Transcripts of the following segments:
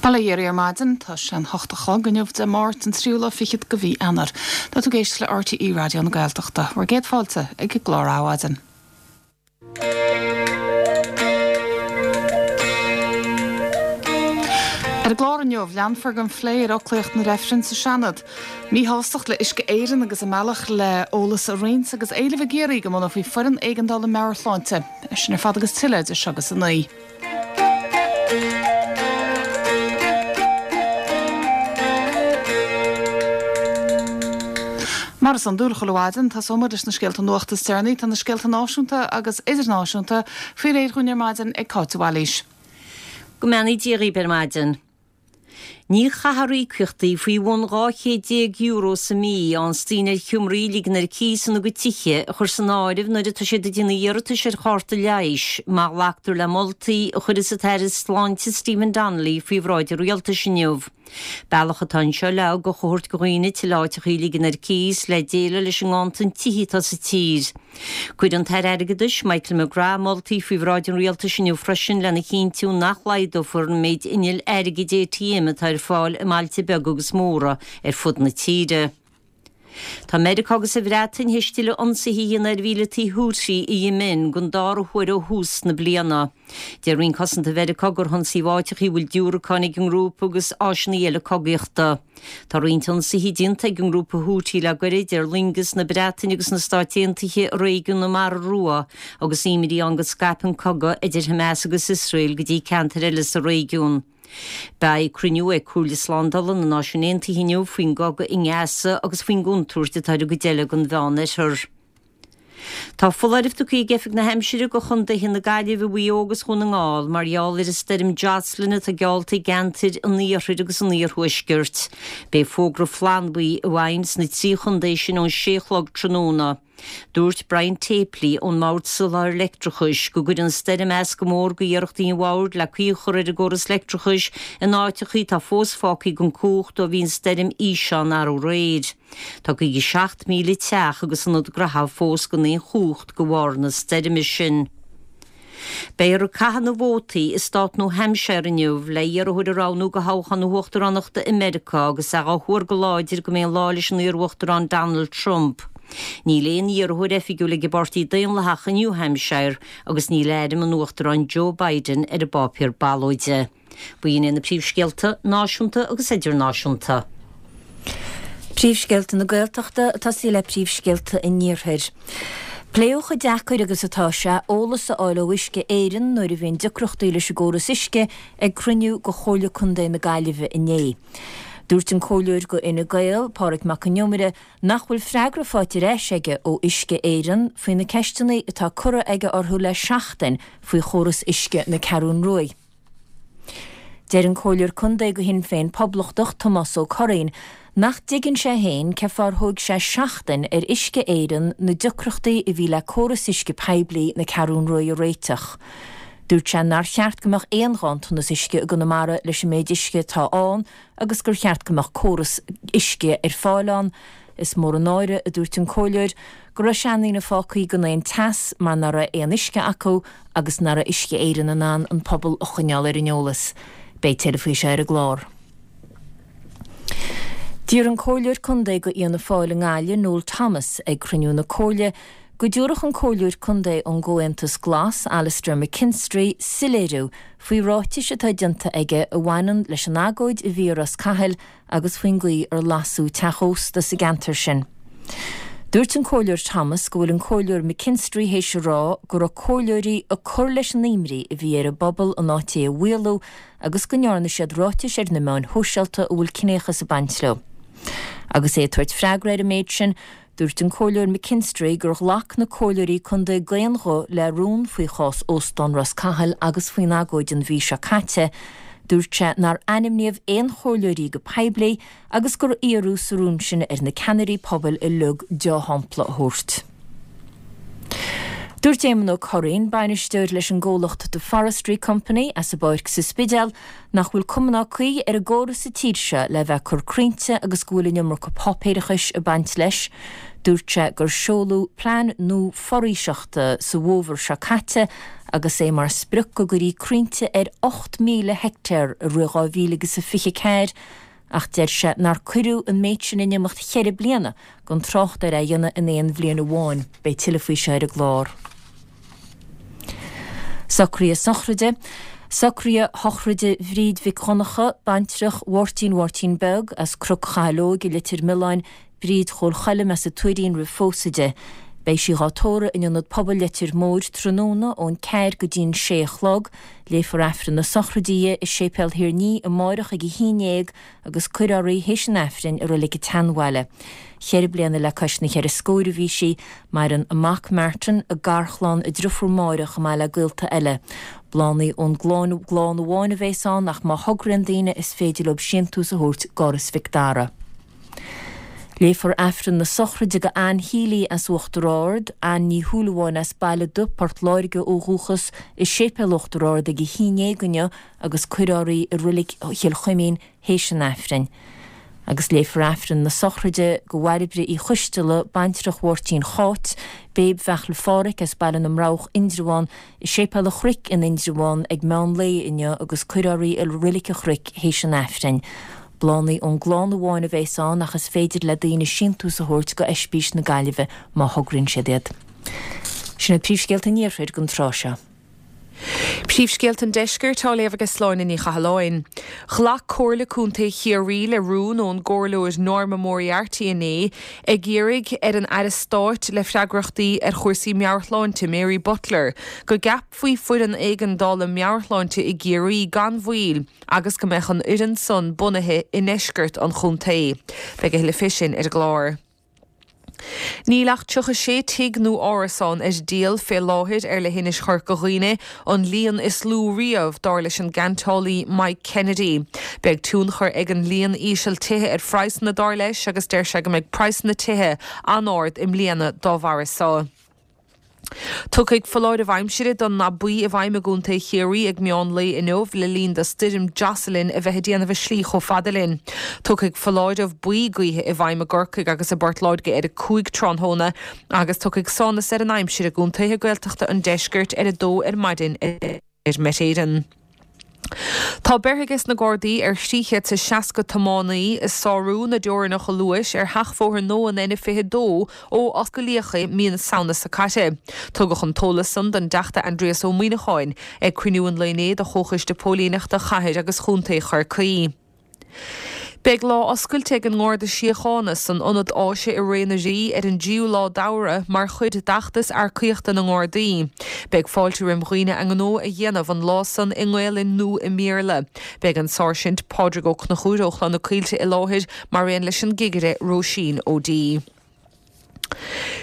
Bail ó Dhia oraibh ar maidin. Tá sé an hocht a chlog inniu Dé Máirt an tríú lá fichead de mhí Eanáir. Tá tú ag éisteacht le RTÉ Raidió na Gaeltachta. Bhur gcéad fáilte ag an gclár Adhmhaidin. Ar an gclár inniu, leanfar den phlé ar fhoclaíocht na reifreann sa Seanad. Míshástacht le Uisce Éireann agus a mbealach le eolas a roinnt agus éileamh i gCiarraí go mbunófaí foireann éigeandála meabhairshláinte. É sin ar fad agus tuilleadh idir seo agus a 9. Mar is iondúil chuile mhaidin, tosóidh muid leis na scéalta nuachta is deireanaí. Tá na scéalta náisiúnta agus idirnáisiúnta faoi réir dhúinn ar maidin ag Cáit de Bhailís. Go mbeannaí Dia dhaoibh ar maidin. Ní chaithfear íocaíochtaí faoi bhun €200 sa mhí a fhaigheanns daoine ar sheomraí a ligean ar cíos ina gcuid tithe a chur san áireamh nuair atá siad ag déanamh iarratais ar chárta leighis má ghlactar le moltaí a chuirfeas an tAire Sláinte Stephen Donnelly faoi bhráid an Rialtais inniu. Bealach atá anseo le ugach a thabhairt do dhaoine tuilleadh áiteachaí a ligean ar cíos le déileáil leis an nganntan tithe atá sa tír. Cuirfidh an tAire Airgeadais, Michael McGrath, moltaí faoi bhráid an Rialtais inniu freisin lena chinntiú nach laghdófar an méid innill airgid ATM atá ar fáil i mbailte beaga agus móra ar fud na tíre. Tá Meiriceá agus an Bhreatain théis tuilleadh ionsaithe a dhéanamh ar mhíleataigh Houthi i Yemen don dara huair ó thús na bliana. Deir Roinn Cosanta Mheiriceá gur hionsaíodh áiteachaí a bhfuil diúracáin ag an ngrúpa agus áiseanna eile cogaíochta. Tá roinnt ionsaithe déanta ag an ngrúpa Houthi le goirid ar loingeas na Breataine agus na Stáit Aontaithe i réigiún na Mara Rua agus imní ann go scaipfidh an cogadh idir Hamas agus Iosrael go dtí ceantair eile sa réigiún. Beidh cruinniú ag Comhairle Slándála na Náisiún Aontaithe inniu faoin gcogadh i nGaza agus faoin gcontúirt atá ar an gcuid eile den Mheánoirthear. Tá foláireamh tugtha ag Oifig na hAimsire do chontaetha na Gaillimhe, Mhaigh Eo agus Dhún na nGall mar gheall ar an stoirm Jocelyn atá geallta i gceantair an iarthair agus an iarthuaiscirt. Beidh fógra flannbhuí i bhfeidhm sna 3 chontae sin ón 6 a chlog tráthnóna. Dúirt Brian Tapley ón mBord Soláthair Leictreachais go gcuireann an stoirm as go mór d'iarrachtaí an bhoird le caoi a chur ar an gcóras leictreachais in áiteachaí atá fós fágtha gan cumhacht ó bhí an stoirm Isha ann arú aréir. Tá 57,000 teach agus ionad graithe fós gan aon chumhacht de bharr na stoirme sin. Beifear ag caitheamh na vótaí i stát New Hampshire inniu le iarrthóir a roghnú do thoghchán na huachtaránachta i Meiriceá agus é á thuar go láidir go mbeidh an lá leis an iarUachtarán Donald Trump. Níl aon iarrthóir oifigiúil ag an bPáirtí Daonlathach i New Hampshire agus níl ainm an Uachtaráin Joe Biden ar an bpáipéar ballóide. B'in iad na príomhscéalta náisiúnta agus idirnáisiúnta. Príomhscéalta na Gaeltachta ag tosaí le príomhscéalta an Iarthair. Pléadh chomh deacair agus atá sé eolas a fháil ó Uisce Éireann nuair a bhíonn deacrachtaí leis an gcóras uisce ag cruinniú de Chomhairle Contae na Gaillimhe inné. Dúirt an Comhairleoir do Fhine Gael, Pádraig Mac Con Iomaire, nach bhfuil freagra faighte ar ais aige ó Uisce Éireann faoi na ceisteanna atá curtha aige orthu le seachtain faoi chóras uisce na Ceathrún Ruaidh. Deir an Comhairleoir Contae do Shinn Féin Poblachtach, Tomás Ó Curraoin, nach dtuigeann sé féin cén fáth ar thóig sé seachtain ar Uisce Éireann na deacrachtaí a bhí le córas uisce poiblí na Ceathrún Ruaidh a réiteach. Dúirt sé nár cheart go mbeadh aon ghanntanas uisce i gConamara leis an méid uisce atá ann agus gur cheart go mbeadh córas uisce ar fáil ann. Is mór an náire, a dúirt an Comhairleoir, go raibh seandaoine fágtha gan aon teas mar nach raibh aon uisce acu agus nach raibh Uisce Éireann in ann an pobal a choinneáil ar an eolas. Beidh tuilleadh faoi seo ar an gclár. D'iarr an Comhairleoir Contae do Fhianna Fáil i nGaillimh, Noel Thomas, ag cruinniú na Comhairle, go dtabharfadh an Comhairleoir Contae ón gComhaontas Glas, Alastair McKinstry, soiléiriú faoi ráitis atá déanta aige a bhaineann leis an agóid a bhí i Ros Cathail agus faoin gcaoi ar lasadh teach ósta sa gceantar sin. Dúirt an Comhairleoir Thomas go bhfuil an Comhairleoir McKinstry théis a rá go raibh comhairleoirí ag cur leis an imní a bhí ar an bpobal in áit é a mhaolú agus go ndearna siad ráitis ar na meáin shóisialta a bhfuil ciníochas ag baint leo. Agus é ag tabhairt freagra ar an méid sin, Dúirt an Comhairleoir McKinstry gur ghlac na comhairleoirí contae d'aon ghuth le rún faoi chás Óstán Ros Cathail agus faoin agóid an mhí seo caite. Dúirt sé nár ainmníodh aon chomhairleoirí go poiblí agus gur iarradh sa rún sin ar na ceannairí pobail uilig dea-shampla a thabhairt. Dúirt Éamonn Ó Curraoin, bainisteoir leis an gcomhlacht The Forestry Company as an bPáirc sa Spidéal, nach bhfuil cuma ná caoi ar an gcóras sa tír seo le bheith ag cur crainnte agus go bhfuil an iomarca páipéarachais ag baint leis. Dúirt sé gur seoladh plean nua foraoiseachta sa bhfómhar seo caite agus é mar sprioc go gcuirfí crainnte ar 8,000 heicteár i rith 2024 ach deir sé nár cuireadh an méid sin in imeacht cheithre bliana, gan trácht ar é a dhéanamh in aon bhliain amháin. Beidh tuilleadh faoi seo ar an gclár. Socruithe sochraide Socruithe sochraide Bhríd Mhic Dhonncha, baintreach Mháirtín Mháirtín Beag, as Cnoc Chathail Óig i Leitir Mealláin, Bríd Chóil Choilm as an Tuairín roimh phósadh di. Beidh sí dhá tórramh in Ionad Pobail Leitir Móir tráthnóna ón ceathair go dtí'n sé a chlog. Léifear Aifreann na sochraide di i Séipéal Thír an Fhia amáireach ag a haon dhéag agus cuirfear í théis an Aifrinn i Reilig an tSeanbhaile. Cheithre bliana le cois na cheithre scóir a bhí sí. Maireann a mac Martin, a garchlann, a driofúr Máire chomh maith le gaolta eile. Bláthanna ón gclann amháin a bhéas ann ach má thograíonn daoine is féidir leo síntiús a thabhairt d'Áras Mhic Dara. Léifear Aifreann na sochraide do Ann Healy as Uachtar Ard, Ann Ní Shúilleabháin as Baile Dubh, Port Láirge ó dhúchas, i Séipéal Uachtar Ard ag a haon dhéag inniu agus cuirfear í i Reilig Chill Chuimín théis an Aifrinn. Agus léifear Aifreann na sochraide do Bhairbre Uí Choisteala, baintreach Mháirtín Cháit, Béib Bheachla Phádhraic as Baile na mBroghach, Indreabhán, i Séipéal an Chnoic in Indreabhán ag meán lae inniu agus cuirfear í i Reilig an Chnoic théis an Aifrinn. Bláthanna ón gclann amháin a bhéas ann ach is féidir le daoine síntiús a thabhairt go Oispís na Gaillimhe má thograíonn siad iad. Sin iad príomhscéalta an Iarthair don tráth seo. Príomhscéalta an Deiscirt á léamh ag Sláine Ní Chathalláin. Ghlac Comhairle Contae Chiarraí le rún ón gComhairleoir Norma Moriarty inné ag iarraidh ar an Aire Stáit le freagrachtaí ar chúrsaí meabhairshláinte, Mary Butler, go gceapfaí foireann éigeandála meabhairshláinte i gCiarraí gan mhoill. agus go mbeadh an fhoireann san bunaithe i ndeisceart an chontae. Beidh a thuilleadh fé sin ar an gclár. Níl ach 36 tigh nó árasán ar díol fé láthair ar leithinis Chorca Dhuibhne, an líon is lú riamh, dar leis an gceantálaí Mike Kennedy. Beidh tionchar ag an líon íseal tithe ar phraghsanna, dar leis, agus deir sé go mbeidh praghsanna tithe an-ard i mbliana dá bharra so. Tiocfaidh foláireamh aimsire don ndath buí i bhfeidhm i gContae Chiarraí ag meán lae inniu le linn do Stoirm Jocelyn a bheith ag déanamh a slí chomh fada linn. Tiocfaidh foláireamh buí gaoithe i bhfeidhm i gCorcaigh agus i bPort Láirge ar 5 tráthnóna agus tiocfaidh sonas ar an aimsir i gcontaetha Gaeltachta an deiscirt ar 2 ar maidin a deir Met Éireann. Tá beirthe ages na Gardaí ar 360 tiománaí ag sárú na dteorainneacha luais ar sheachbhóthar nua an N22 ó osclaíodh é mí na Samhna seo caite. Tugadh an t-eolas san don dTeachta Aindrias Ó Muimhneacháin ag cruinniú an lae inné de Chomhchoiste Póilíneachta Chathair agus Chontae Chorcaí. Beidh lá oscailte ag an nGarda Síochána san Ionad Áise i Ré na Rí ar an dtríú lá d'Fheabhra mar chuid d'fheachtas earcaíochta na nGardaí. Beidh fáilte roim dhaoine a ngnó a dhéanamh an lá san i nGaelainn nó i mBéarla. Beidh an Sáirsint Pádraig Ó Conchúir ó Chloich na Coillte i láthair mar aon leis an gCigire Róisín O'Dea.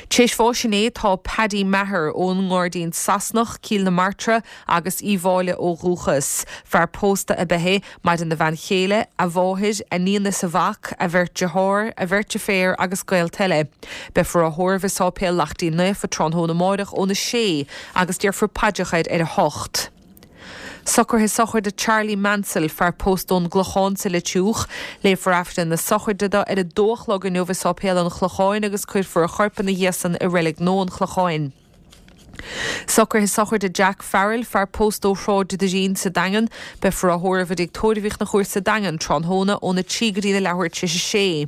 T'éis bháis inné tá Paddy Maher ón nGairdín Sasanach, Cill na Martra agus Uíbh Fhailí ó dhúchas. Fear pósta ab ea é. Maireann a bhean chéile, a mháthair, a níon is a mhac, a bheirt dearthár, a bheirt deirféar agus gaolta eile. Beifear á thórramh i Sáipéal Laichtín Naofa tráthnóna amáireach óna sé agus déarfar paidreacha air ar a hocht. Socruithe sochraide Charlie Mansell, fear pósta ón gClochán sa Leitriúch. Léifear Aifreann na sochraide do ar a dó a chlog inniu i Sáipéal an Chlocháin agus cuirfear a chorp ina dhiaidh san i Reilig Nua an Chlocháin. Socruithe sochraide Jack Farrell, fear pósta ó Shráid Doirín sa Daingean. Beifear á thórramh i dTigh Tórraimh Uí Chonchúir sa Daingean tráthnóna óna 3 go dtína leathuair tar éis a sé.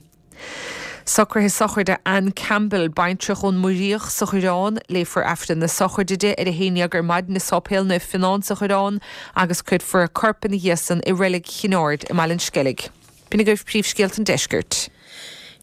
Socruithe sochraide Anne Campbell, baintreach ón Muiríoch sa Choireán. Léifear Aifreann na sochraide di ar a haon dhéag ar maidin i Sáipéal Naomh Fionán sa Choireán agus cuirfear a corp ina dhiaidh san i Reilig Chinn Aird i mBaile an Sceilg. B'in agaibh príomhscéalta an deiscirt.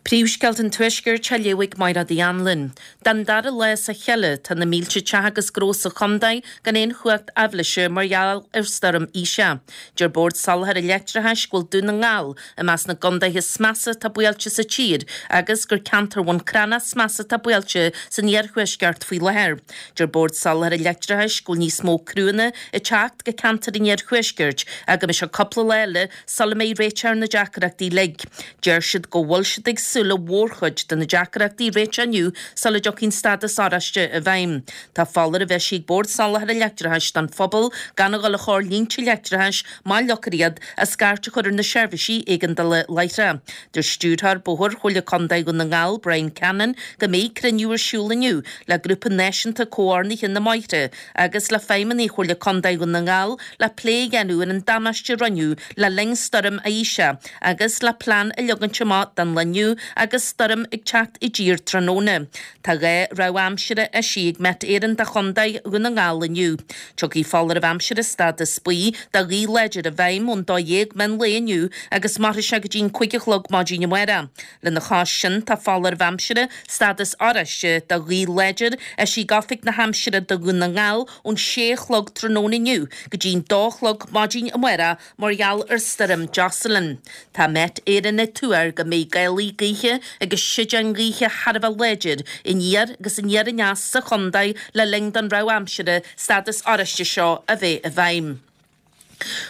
Príomhscéalta an Tuaiscirt á léamh ag Mairéad Uí Anluain. Den dara lá as a chéile, tá na mílte teach agus gnó sa chontae gan aon chumhacht aibhléise mar gheall ar Stoirm Isha. Deir Bord Soláthair an Leictreachais go bhfuil Dún na nGall i measc na gcondaetha is measa atá buailte sa tír agus gur ceantar Bhun Cranncha is measa atá buailte san iarthuaisceart faoi láthair. Deir Bord Soláthair an Leictreachais go bhfuil níos mó criúnna ag teacht go ceantar an iarthuaiscirt ach go mbeidh sé cúpla lá eile sula mbeidh réiteach ar na deacrachtaí uilig. Deir siad go bhfuil siad ag. súil le mhórchuid de na deacrachtaí a réiteach inniu sula dtiocfaidh an stádas oráiste i bhfeidhm. Tá foláireamh eisithe ag Bord Soláthair an Leictreachais don phobal gan a dhul a chur línte leictreachais má fhliuchfar iad is scairt a chur ar na seirbhísí éigeandála láithreach. Deir Stiúrthóir Bóthair Chomhairle Contae Dhún na nGall, Brian Cannon, go mbeidh cruinniú ar siúl inniu le Grúpa Náisiúnta Comhordnaithe na mBóithre agus le feidhmeannaigh Chomhairle Contae Dhún na nGall le plé a dhéanamh ar an damáiste a rinneadh le linn Stoirm Isha agus le plean a leagaint amach don lá inniu agus stoirm ag teacht i dtír tráthnóna. Tá 2 rabhadh aimsire eisithe ag Met Éireann do Chontae Dhún na nGall inniu. Tiocfaidh foláireamh aimsire stádas buí do ghaoth láidir i bhfeidhm ón 12 meán lae inniu agus mairfidh sé go dtí an 5 a chlog maidin amárach. Lena chois sin tá foláireamh aimsire stádas oráiste do ghaoth láidir eisithe ag Oifig na hAimsire do Dhún na nGall ón 6 a chlog tráthnóna inniu go dtí an 2 a chlog maidin amárach Mar gheall ar Stoirm Jocelyn, tá Met Éireann ag tuar go mbeidh gálaí gaoithe agus séideáin ghaoithe thar a bheith láidir aniar agus aniar aneas sa chontae le linn don rabhadh aimsire stádas oráiste seo a bheith i bhfeidhm.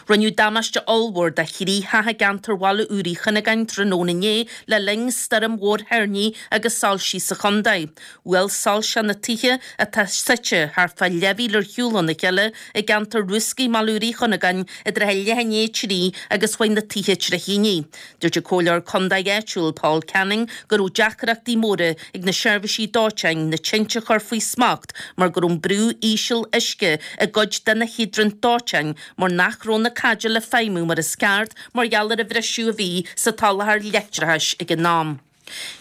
Rinneadh damáiste ollmhór do thrí theach i gceantar Bhaile Úr Uí Chuinneagáin tráthnóna inné le linn stoirm mhór thoirní agus soilsí sa chontae. Bhuail soilse na tithe, atá suite thart fá leathmhíle ar shiúl óna chéile i gceantar Rúscaí i mBaile Úr Uí Chuinneagáin i dtrátha leath i ndiaidh a 3 agus chuaigh na tithe tré thine. Dúirt an comhairleoir contae áitiúil Paul Canning go raibh deacrachtaí móra ag na seirbhísí dóiteáin na tinte a chur faoi smacht mar go raibh an brú íseal uisce i gcuid de na hiodraint dóiteáin mar nach raibh na caidéil ag feidhmiú mar is ceart mar gheall ar an bhriseadh a bhí sa tsoláthar leictreachais ag an am.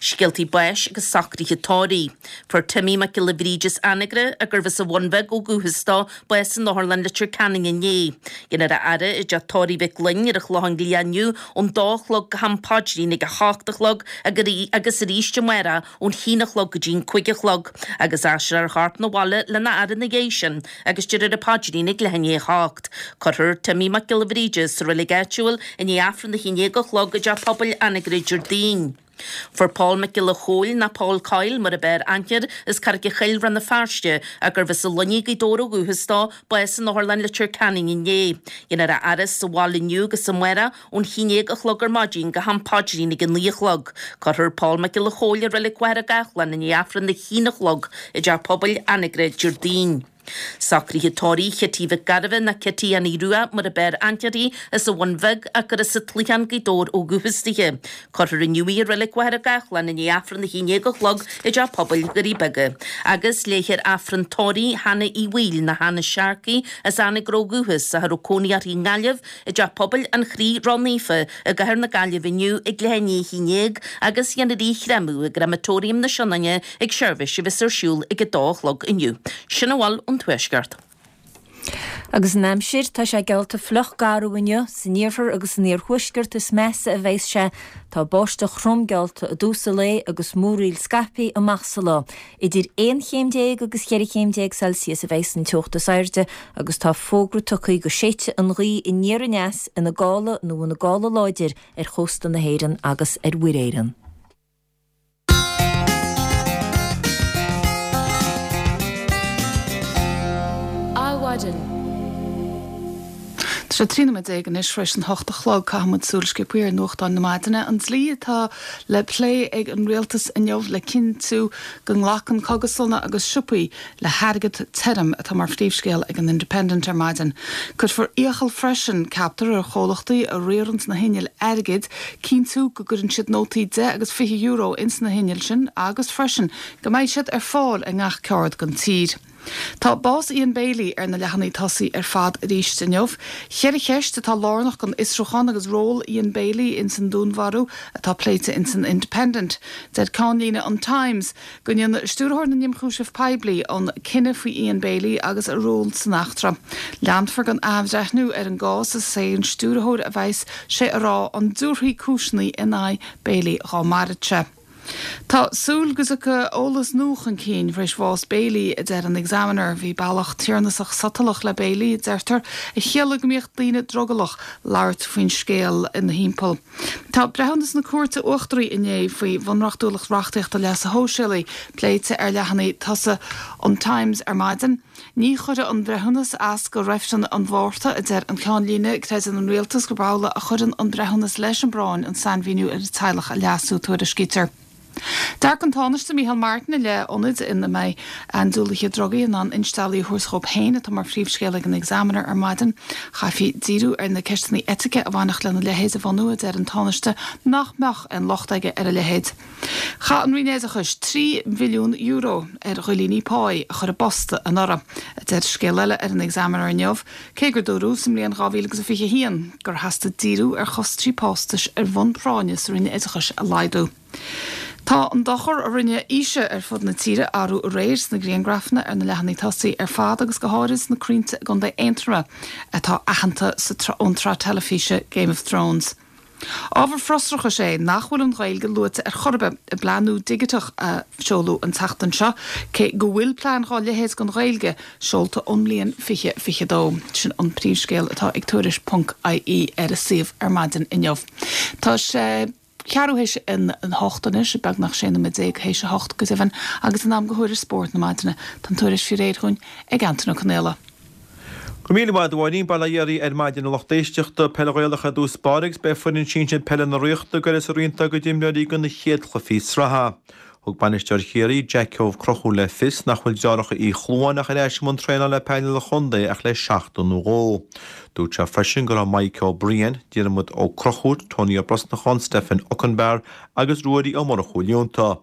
Scéaltaí báis agus socruithe tórraimh. Fuair Timmy Mac Giolla Bhríde as Anagaire, gurbh as an Bhun Bheag ó dhúchas dó, bás in Otharlann Leitir Ceanainn inné. Déanfar a fhaire i dteach tórraimh Mhic Fhloinn ar an Chlochán Liath inniu ón dó a chlog go ham paidrín ag a hocht a chlog agus arís amárach ón haon a chlog go dtí an cúig a chlog agus aistreofar a chorp 'na bhaile lena fhaire ina dhiaidh sin agus déarfar an paidrín ag leath i ndiaidh a hocht. Cuirfear Timmy Mac Giolla Bhríde sa reilig áitiúil i ndiaidh Aifreann a haon déag a chlog i dTeach Pobail Anagaire Déardaoin. Fuair Pól Mac Giolla Chóill, nó Paul Coyle mar ab fhearr aithne air, as Carraig an Choill, Rann na Feirste, gurbh as an Luinnigh, Gaoth Dobhair ó dhúchas dó, bás in Otharlann Leitir Ceanainn inné. Déanfar a fhaire sa bhaile inniu agus amárach ón haon déag a chlog ar maidin go ham paidrín ag a naoi a chlog. Cuirfear Pól Mac Giolla Chóill i Reilig Mhachaire Gathlán i ndiaidh Aifreann a haon a chlog i dTeach Pobail Anagaire Déardaoin. Socruithe tórraimh Chití Mhic Gairbheith nó Cití Annie Rua mar ab fhearr aithne uirthi as an Bhun Bheag ach gur as an Cloicheán Gaoth Dobhair ó dhúchas dithe. Cuirfear inniu í i Reilig Mhachaire Gathlán i ndiaidh Aifreann a haon déag a chlog i dTeach Pobail Dhoirí Beaga. Agus léifear Aifreann tórraimh Hannah Uí Bhaoill nó Hannah Sharkey as Anagaire ó dhúchas ach a raibh cónaí uirthi i nGaillimh i dTeach Pobail an Chroí Ró-Naofa i gcathair na Gaillimhe inniu ag leath i ndiaidh a haon déag agus dhéanfar í a chréamadh i gCreamatóiriam na Sionainne ag seirbhís a bheas ar siúl ag a dó a chlog inniu. Sin a bhfuil ón Tuaisceart. Agus an aimsir, tá sé geallta fliuch garbh inniu, san iarthar agus san iarthuaisceart is measa a bheas sé. Tá báisteach throm geallta i dtús an lae agus múraíl scaipthe amach sa lá. Idir 11 chéim agus 14 chéim Celsius a bheas an teocht is airde agus tá fógra tugtha go séidfidh an ghaoth aniar aneas ina gála nó ina gála láidir ar chósta na hÉireann agus ar Mhuir Éireann. Adhmhaidin. Tá sé 13 nóiméad anois tar éis an hocht a chlog. Caithfidh muid súil sciobtha ar nuachtáin na maidine. An dlí atá le plé ag an rialtas inniu le cinntiú go nglacann cógaslanna agus siopaí le hairgead tirim atá mar phríomhscéal ag an Independent ar maidin. Cuirfear iachall freisin, ceaptar, ar chomhlachtaí a riaranns na hinnill airgid cinntiú go gcuireann siad nótaí deich agus €20 ins na hinnill sin agus freisin go mbeidh siad ar fáil i ngach ceard den tír. Tá bás Ian Bailey ar na leathanaigh tosaigh ar fad arís inniu. Cheithre cheist atá lárnach don fhiosrúchán agus ról Ian Bailey ins an dúnmharú atá pléite ins an Independent. Deir ceannlíne an Times Go ndéanfaidh Stiúrthóir na nIomchúiseamh Poiblí an cinneadh faoi Ian Bailey agus a ról san eachtra. Leanfar den athbhreithniú ar an gcás is é an Stiúrthóir a bheas sé a rá an dtabharfaí cúiseanna in aghaidh Bailey dhá mairfeadh sé. Tá súil go dtiocfaidh eolas nua chun cinn tar éis bhás Bailey, a deir an Examiner. Bhí bealach tiarnasach sotalach le Bailey, a deirtear, a chiallaigh go mbíodh daoine drogallach labhairt faoin scéal ina thimpeall. Tá breithiúnas na Cúirte Uachtaraí inné faoi bhunreachtúlacht reachtaíochta leasa shóisialaigh pléite ar leathanaigh tosaigh an Times ar maidin. Ní chuirfidh an breithiúnas as go reifreann an Mhárta, a deir an ceannlíne. Creideann an rialtas gurb amhlaidh a chuireann an breithiúnas leis an bpráinn an sainmhíniú ar an teaghlach a leasú, tuairiscítear. Dearcadh an Tánaiste Micheál Martin i leith ionaid ina mbeidh andúiligh drugaí in ann insteallaí a thabhairt dhóibh féin atá mar phríomhscéal ag an Examiner ar maidin. Chaithfí díriú ar na ceisteanna eitice a bhainfeadh lena leithéid a bhunú, a deir an Tánaiste, nach mbeadh aon locht aige ar a leithéid. Chaith an Roinn Oideachais €3 mhilliún ar dhuillíní páí a chur i bpost anuraidh, a deir scéal eile ar an Examiner inniu, cé gur dúradh sa mbliain 2021 gur theastaigh díriú ar chostaisí postais ar bhonn práinne sa Roinn Oideachais a laghdú. Tá an dochar a rinne Isha ar fud na tíre arú aréir sna griangrafanna ar na leathanaigh tosaigh ar fad agus go háirid sna crainnte i gContae Aontroma atá aitheanta ón tsraith teilifíse Game of Thrones. Ábhar frustrachais é nach bhfuil an Ghaeilge luaite ar chor ar bith i bplean nua digiteach a seoladh an tseachtain seo, cé go bhfuil plean dhá leithéid don Ghaeilge seolta ón mbliain 2022. Sin an príomhscéal atá ag Tuairisc ponc ie ar a suíomh ar maidin inniu. Tá sé ceathrú théis a hocht anois, beagnach 16 nóiméad théis a hocht go deimhin, agus in am do thuairisc spóirt na maidine. Tá an tuairisc faoi réir dhúinn ag Antain Ó Conaola. Go raibh míle maith agat a Mháirín, Bail ó Dhia oraibh ar maidin a lucht éisteachta. Peil Ghaelach ar dtús báire agus beidh foireann sinsir peile na Ríochta ag goil as i roinnt dá gcuid imreoirí do na chéad chluichí sraithe. Thug bainisteoir Chiarraí, Jackie Ó Conchúir le fios nach bhfuil deartháireacha Uí Chluáin ach ar ais i mbun traenála le painéal an chontae ach le seachtain nó dhó. Dúirt sé freisin go raibh Maidhc Ó Briain, Diarmuid Ó Conchúir, Tony Ó Brosnacháin, Stephen Okunbor agus Ruairí Ó Murchú líonta.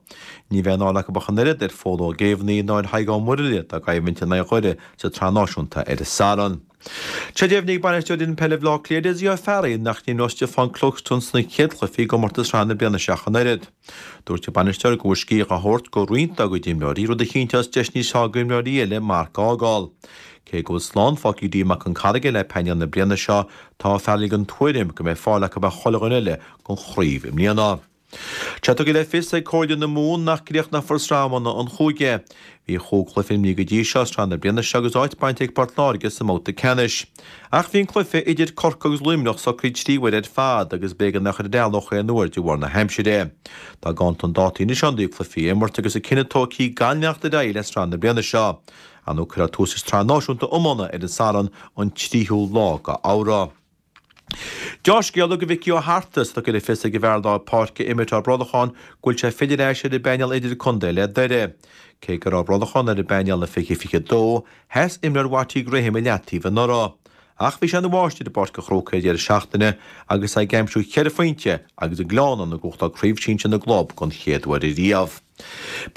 Ní bheidh aon fháil acu ach an oiread ar Phól Ó Géibheannaigh ná ar Thadhg Ó Murlaile dá gcoimhlint in aghaidh Dhoire sa tSraith Náisiúnta ar an Satharn. Tá sé deimhnithe ag bainisteoir fhoireann peile Bhaile Átha Cliath, Dessie Ó Fearraigh, nach n-imreoidh Stiofán Cluxton sna chéad chluichí i gcomórtas sraithe na bliana seo ach an oiread. Dúirt an bainisteoir go bhfuil scíth á thabhairt do roinnt dá gcuid imreoirí, rud a chinnteos deis níos fearr d'imreoirí eile marc a fhágáil. Cé go bhfuil slán fágtha ag Dee Mac Con Carraige le painéal na bliana seo, tá Ó Fearraigh den tuairim go mbeidh fáil acu ar chuile dhuine eile don chraobh i mbliana. Tá tugtha le fios ag Comhairle na Mumhan nach gcríochnófar Sraith Iomána an Chúige. Bhí chúig chluiche imrithe go dtí seo i sraith na bliana seo agus áit bainte ag Port Láirge sa mbabhta ceannais. Ach bhí an cluiche idir Corcaigh agus Luimneach socraithe trí huaire ar fad agus b'éigean é a chur ar ceal aon uair de bharr na haimsire. Tá ganntan dátaí anois ann do chluichí a imirt agus an cinneadh tógtha gan leanacht ar aghaidh le sraith na bliana seo. Ar ndóigh cuirfear tús leis an tSraith Náisiúnta Iomána ar an Satharn an 3ú lá de Fheabhra. Deá-scéala do Mhicí Ó hArta, is tugtha le fios ag an bhfear lár páirce Emmet Ó Brolacháin go bhfuil sé ag filleadh ar ais ar an bpainéal idirchontae le Doire. Cé go raibh Ó Brolacháin ar an bpainéal i 2022, sheas imreoir Watty Graham i leataobh anuraidh. Ach bhí sé ina mháistir i bPáirc an Chrócaigh ar deireadh seachtaine agus é ag aimsiú cheithre phointe agus an Gleann ag buachtáil Craobh Sinsir na gClub don chéad uair ariamh.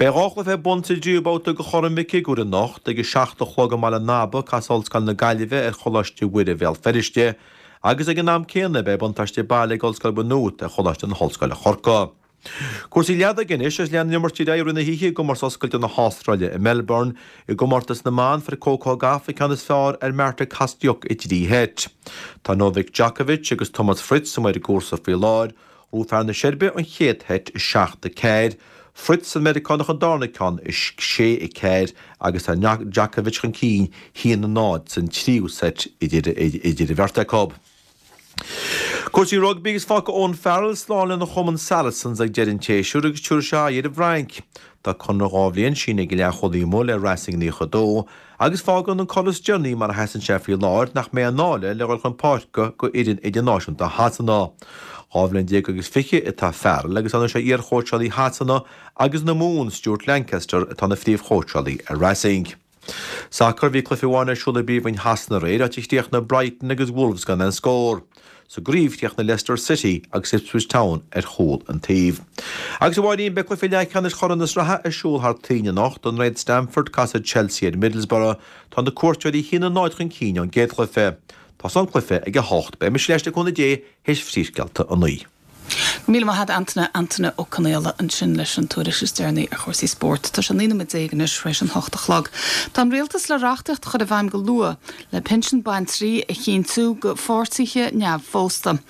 Beidh 2 chluiche ar bun sa dtríú babhta de Chorn Mhic Shigiúir anocht. Ag a 7 a chlog i mBaile an Aba, casfaidh Ollscoil na Gaillimhe ar Choláiste Mhuire Bhéal Feirste agus ag an am céanna beidh buntáiste baile ag Ollscoil Mhaigh Nuad ar Choláiste na hOllscoile Chorcaigh. Cúrsaí leadóige anois agus lean an imirt ar aghaidh i rith na hoíche i gcomórtas oscailte na hAstráile i Melbourne. I gcomórtas na mban fuair Coco Gauff an ceann is fearr ar Marta Kostyuk i dtrí sheit. Tá Novak Djokovic agus Thomas Fritz amuigh ar an gcúrsa faoi láthair. Bhuaigh fear na Seirbia an chéad sheit, 7-4, Fritz an Meiriceánach an darna ceann, 6-4, agus tá Djokovic chun cinn 1-0 san tríú seit idir an bheirt acu. Cúrsaí rugbaí agus fágfaidh Owen Farrell slán lena chumann Saracens ag deireadh an tséasúir agus tabharfaidh sé aghaidh ar an bhFrainc. Tá conradh 2 bhliain sínithe ag an leathchúlaí amuigh le Racing 92 agus fágann an cor is deireanaí mar a sheasann sé faoi láthair nach mbeidh i ndáil le dhul chun páirce do fhoireann idirnáisiúnta Shasana. 12 bhliain agus fiche atá Farrell agus anois é iarchóitseálaí Shasana agus na Mumhan, Stuart Lancaster, atá ina phríomhchóitseálaí ar Racing. Sacar, Bhí cluiche amháin ar siúl i bPríomhroinn Shasana aréir, áit a chríochnaigh Brighton agus Wolves gan aon scór. Sa gcraobh, chríochnaigh Leicester City agus Ipswich Town ar chúl an taoibh. Agus a Mháirín, beidh cluiche leathcheannais Chorn na Sraithe ar siúl thar toinn anocht. I nDroichead Stamford, casfaidh Chelsea ar Middlesbrough. Tá na cuairteoirí 1-0 chun cinn ón gcéad chluiche. Tosóidh an cluiche ag 8. Beidh mise ar ais le cúnamh Dé théis phríomhscéalta 9. Go míle maith agat Antaine, Antaine Ó Conaola ansin leis an tuairisc is deireanaí ar chúrsaí spóirt. Tá sé 19 nóiméad anois tar éis an hocht a chlog. Tá an Rialtas le reachtaíocht a chur i bhfeidhm go luath le pinsean baintrí a chinntiú go pháirtithe neamhphósta.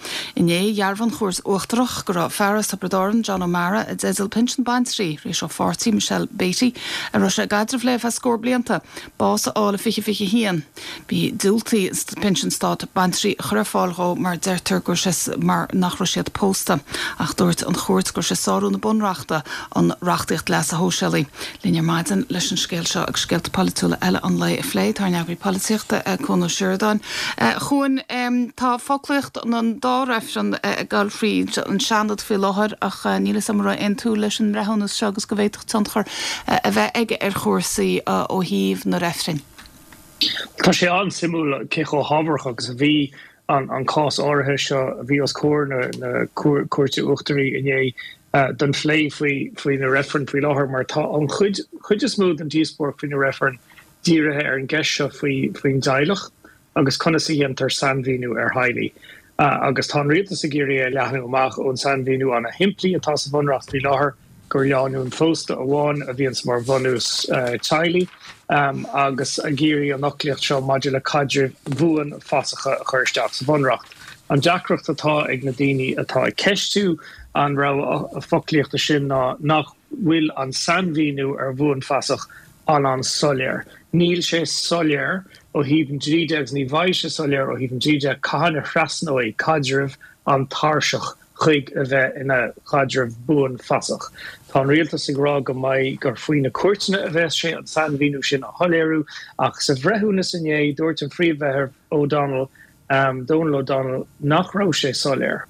Inné, dhearbhaigh an Chúirt Uachtarach go raibh fear as Tiobraid Árann, John O'Mara, i dteideal pinsean baintrí tar éis dó a pháirtí, Michelle Beatty, a raibh sé i gcaidreamh léi ar feadh scór blianta, bás a fháil i 2021. Bhí diúltaíodh pinsean stáit baintrí a chur ar fáil dhó mar deirtear go raibh sé mar nach raibh siad pósta. Ach dúirt an chúirt go raibh sé ag sárú na bunreachta, an reachtaíocht leasa shóisialaigh. Linn ar maidin leis an scéal seo agus scéalta polaitiúla eile an lae a phlé, tá ár n-eagraí polaitíochta, Cuan Ó Seireadáin. A Chuain, tá foclaíocht an dá reifreann ag dul fríd an Seanad faoi láthair ach níl 'fhios a'm an raibh aon tsúil leis an mbreithiúnas seo agus go bhféadfadh tionchar a bheith aige ar chúrsaí ó thaobh na reifrinn. Tá sé an-suimiúil cé chomh hábharach agus a bhí an cás áirithe seo a bhí os comhair na Cúirte Uachtaraí inné don phlé faoi na reifrinn faoi láthair mar tá an chuid is mó den díospóireacht faoi na reifrinn dírithe ar an gceist seo faoin dteaghlach agus conas a dhéantar sainmhíniú ar theaghlaigh. Agus tá an rialtas ag iarraidh é a leathnú amach ón sainmhíniú an-shimplí atá sa Bhunreacht faoi láthair, gur lánúin phósta amháin a bhíonns mar bhunús teaghlaigh, agus ag iarraidh an fhoclaíocht seo maidir le caidrimh bhuanfhasacha a chur isteach sa Bhunreacht. An deacracht atá ag na daoine atá ag ceistiú an rogha foclaíochta sin ná nach bhfuil an sainmhíniú ar bhuanfhasach an-an-soiléir. Níl sé soiléir ó thaobh an dlí de agus ní bheidh sé soiléir ó thaobh an dlí de cathain a thrasnóidh caidreamh an tairseach chuig a bheith ina chaidreamh buanfasach. Tá an rialtas ag rá go mbeidh, gur faoi na cúirteanna a bheas sé an sainmhíniú sin a shoiléiriú ach sa bhreithiúnas inné dúirt an Phríomh-Bhreitheamh O'Donnell, Donal O'Donnell, nach raibh sé soiléir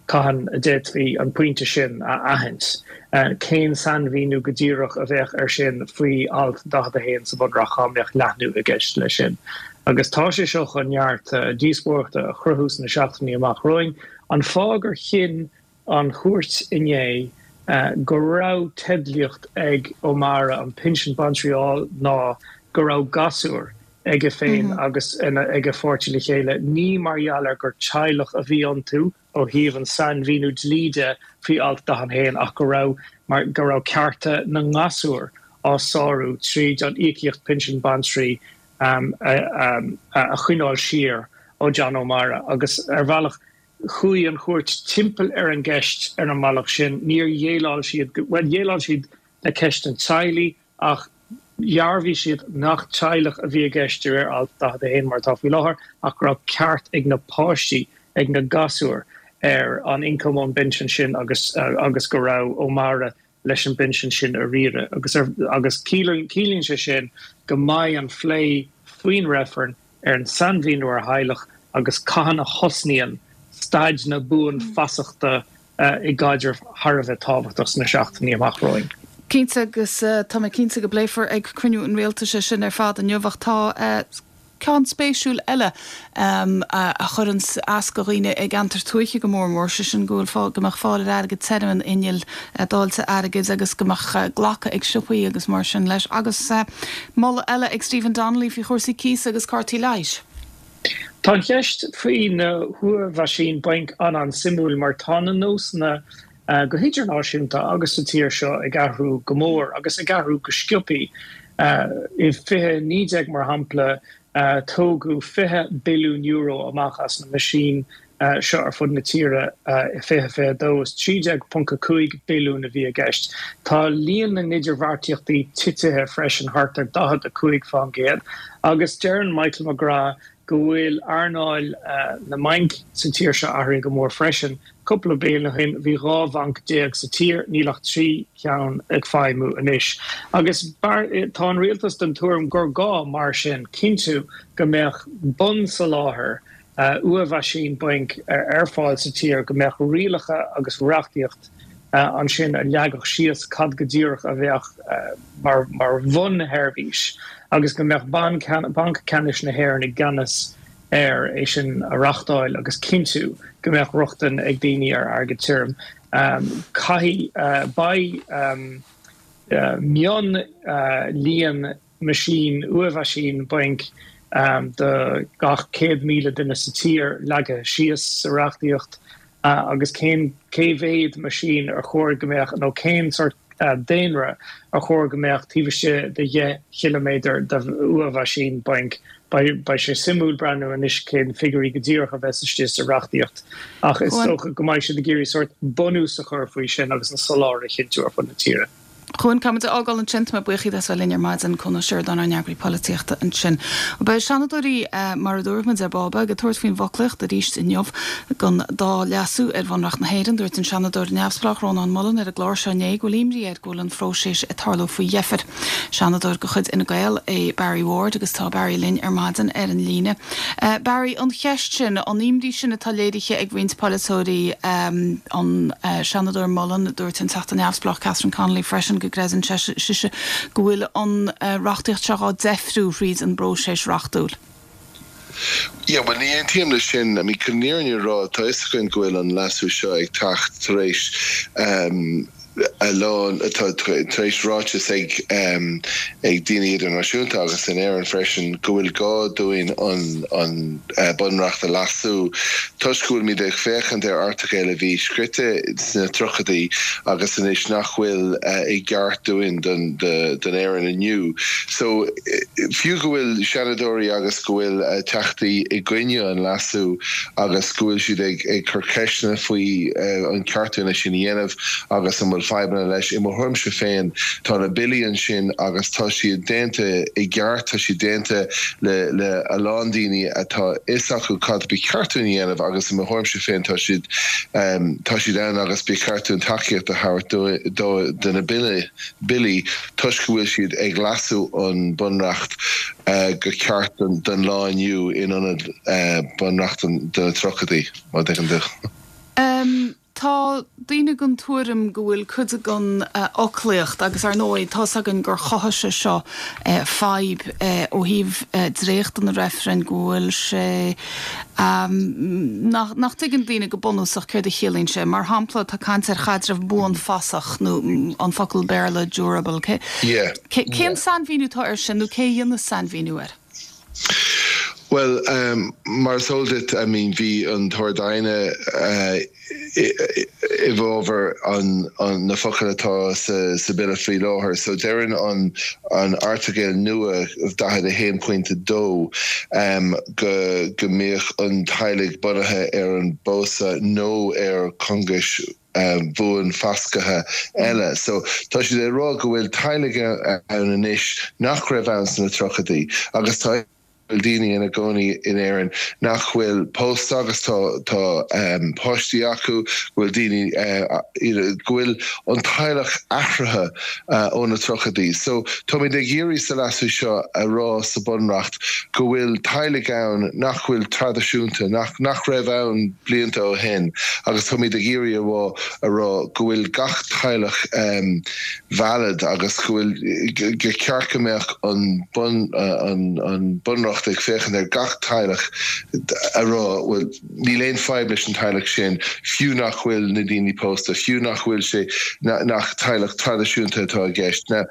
cathain a d'fhéadfaí an pointe sin a aithint, cén sainmhíniú go díreach a bheadh air sin faoi alt 41 sa Bhunreacht dhá mbeadh leathnú i gceist leis sin. Agus tá sé seo chun neart díospóireachta a chruthú sna seachtainí amach romhainn. An fáth gur chinn an chúirt inné go raibh teidlíocht ag O'Mara an pinsean baintrí a fháil ná go raibh gasúir aige féin agus ag a pháirtí le chéile, ní mar gheall ar gur teaghlach a bhí iontu ó thaobh an sainmhíniú dlí de faoi alt 41 ach go raibh mar go raibh cearta na ngasúr á sárú tríd an íocaíocht pinsean baintrí a choinneáil siar ó John O'Mara agus ar bhealach chuaigh an chúirt timpeall ar an gceist ar an mbealach sin. Níor dhéileáil siad, bhuel dhéileáil siad le ceist an teaghlaigh ach dhearbhaigh siad nach teaghlach a bhí i gceist de réir alt 41 mar atá faoi láthair ach go raibh ceart ag na páistí, ag na gasúir ar an ioncam ón bpinsean sin agus agus go raibh O'Mara leis an bpinsean sin a riaradh agus agus ciallaíonn sé sin go mbeidh an phlé faoin reifreann ar an sainmhíniú ar theaghlach agus cathain a thosnaíonn staid na buanfasachta i gcaidreamh thar a bheith tábhachtach sna seachtainí amach romhainn. Cinnte, agus tá mé cinnte go bpléifear ag cruinniú an Rialtais é sin ar fad inniu ach tá ceann spéisiúil eile a chuireann as do dhaoine i gceantair tuaithe go mór mór, sé sin go bhfuil, go mbeadh fáil ar airgead tirim in innill dáilte airgid agus go mbeadh glacadh ag siopaí agus mar sin leis. Agus moladh eile ag Stephen Donnelly faoi chúrsaí cíosa agus cártaí leighis. Tá an cheist faoi na huathmheaisín bainc an-an-suimiúil mar tá na nósanna go hidirnáisiúnta agus sa tír seo ag athrú go mór agus ag athrú go sciobthaí. I 2019, mar shampla, tógadh €20 billiún amach as na meaisín seo ar fud na tíre. I 2022, is 13.5 billiún a bhí i gceist. Tá líon na n-idirbheartaíochtaí titithe freisin thart ar 45% agus deireann Michael McGrath go bhfuil earnáil na mbainc sa tír seo athraithe go mór freisin. Cúpla bliain ó shin bhí 12 bhanc sa tír, níl ach 3 cheann ag feidhmiú anois. Agus tá an rialtas den tuairim gur gá, mar sin, cinntiú go mbeadh bunsoláthar uathmheaisín bainc ar fáil sa tír, go mbeadh rialacha agus reachtaíocht ansin a leagfadh síos cad go díreach a bheadh mar bhunsheirbhís agus go mbeadh Banc Ceannais na hÉireann i gceannas air é sin a reachtáil agus cinntiú go mbeadh rochtain ag daoine ar airgead tirim. Caithfidh, beidh mionlíon meaisín, uathmheaisín bainc do gach 100,000 duine sa tír leagtha síos sa reachtaíocht. Agus cén, cé mhéad meaisín ar chóir go mbeadh, nó cén sórt daonra ar chóir go mbeadh taobh istigh de dheich chiliméadar de uathmheaisín bainc. Beidh sé suimiúil breathnú anois cén figiúirí go díreach a bheas istigh sa reachtaíocht ach is dócha go mbeidh siad ag iarraidh sórt bunús a chur faoi sin agus an soláthar a chinntiú ar fud na tíre. Cuan, caithfidh muid a fhágáil ansin. Tá mé buíoch díot as bheith linn ar maidin. Cuan Ó Seireadáin, ár n-eagraí polaitíochta ansin. Beidh Seanadóirí, mar a dúirt muid ar ball beag, ag tabhairt faoin bhfoclaíocht arís inniu don dá leasú ar Bhunreacht na hÉireann. Dúirt an Seanadóir neamhspleách Rónán Mullen ar an gclár seo inné go bhfuil imní air go bhfuil an phróiseas ag tarlú faoi dheifir. Seanadóir de chuid Fhine Gael é Barry Ward agus tá Barry linn ar maidin ar an líne. Barry, an cheist sin, an imní sin atá léirithe ag roinnt polaiteoirí, an Seanadóir Mullen, dúirt an Teachta Neamhspleách Catherine Connolly freisin go gcreideann sise go bhfuil an reachtaíocht seo á deifriú thríd an bpróiseas reachtúil. Yeah, bhuel, ní aontaím leis sin. I mean, chun an fhírinne a rá, tá fhios againn go bhfuil an leasú seo ag teacht tar éis a lán, tá tar éis ráiteas ag ag daoine idirnáisiúnta agus in Éirinn freisin go bhfuil gá dúinn an an Bunreacht a leasú toisc go bhfuilimid ag féachaint ar airteagail a bhí scrite sna tríochaidí agus anois nach bhfuil i gceart dúinn don don Éirinn inniu. So, fiú go bhfuil Seanadóirí agus go bhfuil Teachtaí i gcoinne an leasú agus go bhfuil siad ag cur ceisteanna faoi an ceart dúinn é sin a dhéanamh agus an bhfuil fadhbanna leis, i mo thuairimse féin tá na billí ansin agus tá siad déanta i gceart, tá siad déanta le le a lán daoine atá fhios acu cad ba cheart dúinn a dhéanamh agus i mo thuairimse féin tá siad tá siad ann agus ba cheart dúinn tacaíocht a thabhairt dó do na billí. toisc go bhfuil siad ag leasú an Bunreacht go ceart don lá inniu in ionad Bunreacht do na tríochaidí, má thuigeann tú. Tá daoine den tuairim go bhfuil cuid den fhoclaíocht, agus ar ndóigh tá's againn gur chothaigh sé seo fadhb ó thaobh dréacht an reifrinn, go bhfuil sé, nach dtuigeann daoine go bunúsach céard a chiallaíonn sé. Mar shampla, tá caint ar chaidreamh buanfasach, nó an focal Béarla durable. Cén sainmhíniú atá air sin, nó cé a dhéanas sainmhíniú air? Bhuel, mar is eol duit, I mean, bhí an tArd-Aighne i bhfabhar na focail atá sa Bille faoi láthair. So deireann an an Airteagal nua 41 pointe 2 go go mbeadh an teaghlaigh bunaithe ar an bpósadh nó ar cóngais bhuanfhasctha eile. So tá siad ag rá go bhfuil teaghlaigh ann anois nach raibh ann sna tríochaidí agus tá bhfuil daoine ina gcónaí in Éirinn nach bhfuil pósta agus tá tá páistí acu, go bhfuil daoine you know go bhfuil an teaghlach athraithe ó na tríochaidí. So táimid ag iarraidh sa leasú seo a rá sa Bunreacht go bhfuil teaghlaigh ann nach bhfuil traidisiúnta, nach nach raibh ann blianta ó shin agus táimid ag iarraidh a rá a rá go bhfuil gach teaghlach valid agus go bhfuil gur ceart go mbeadh an bun an Bunreacht ag féachaint ar gach teaghlach a rá bhuel níl aon fadhb leis an teaghlach sin fiú nach bhfuil na daoine pósta, fiú nach bhfuil sé nach teaghlach traidisiúnta atá i gceist. Now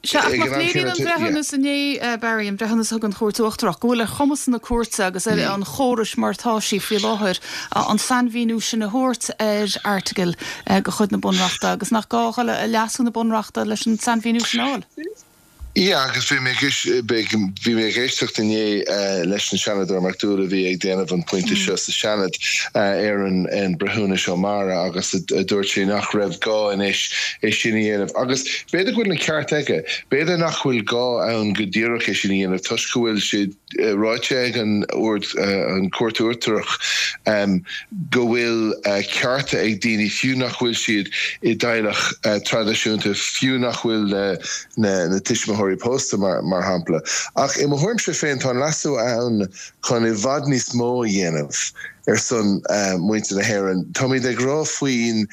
Sea, ach nach léiríonn an breithiúnas inné, Barry, an breithiúnas a thug an Chúirt Uachtarach, go bhfuil ar chumas na cúirte agus ar an chórais mar atá sí faoi láthair an sainmhíniú sin a thabhairt ar airteagail de chuid na Bunreachta agus nach gá a dhul a leasú na Bunreachta leis an sainmhíniú sin a fháil? Yeah, agus bhí mé bhí mé ag éisteacht inné leis an Seanadóir McDowell a bhí ag déanamh an pointe seo sa Seanad ar an an breithiúnas O'Mara agus a dúirt sé nach raibh gá anois é sin a dhéanamh agus b'fhéidir go bhfuil an ceart aige, b'fhéidir nach bhfuil gá ann go díreach é sin a dhéanamh toisc go bhfuil sé ráite ag an an Chúirt Uachtarach go bhfuil cearta ag daoine fiú nach bhfuil siad i dteaghlach traidisiúnta, fiú nach bhfuil na tuismitheoirí pósta mar shampla. Ach i mo thuairimse féin tá an leasú ann chun i bhfad níos mó a dhéanamh ar son muintir na hÉireann. Táimid ag rá faoin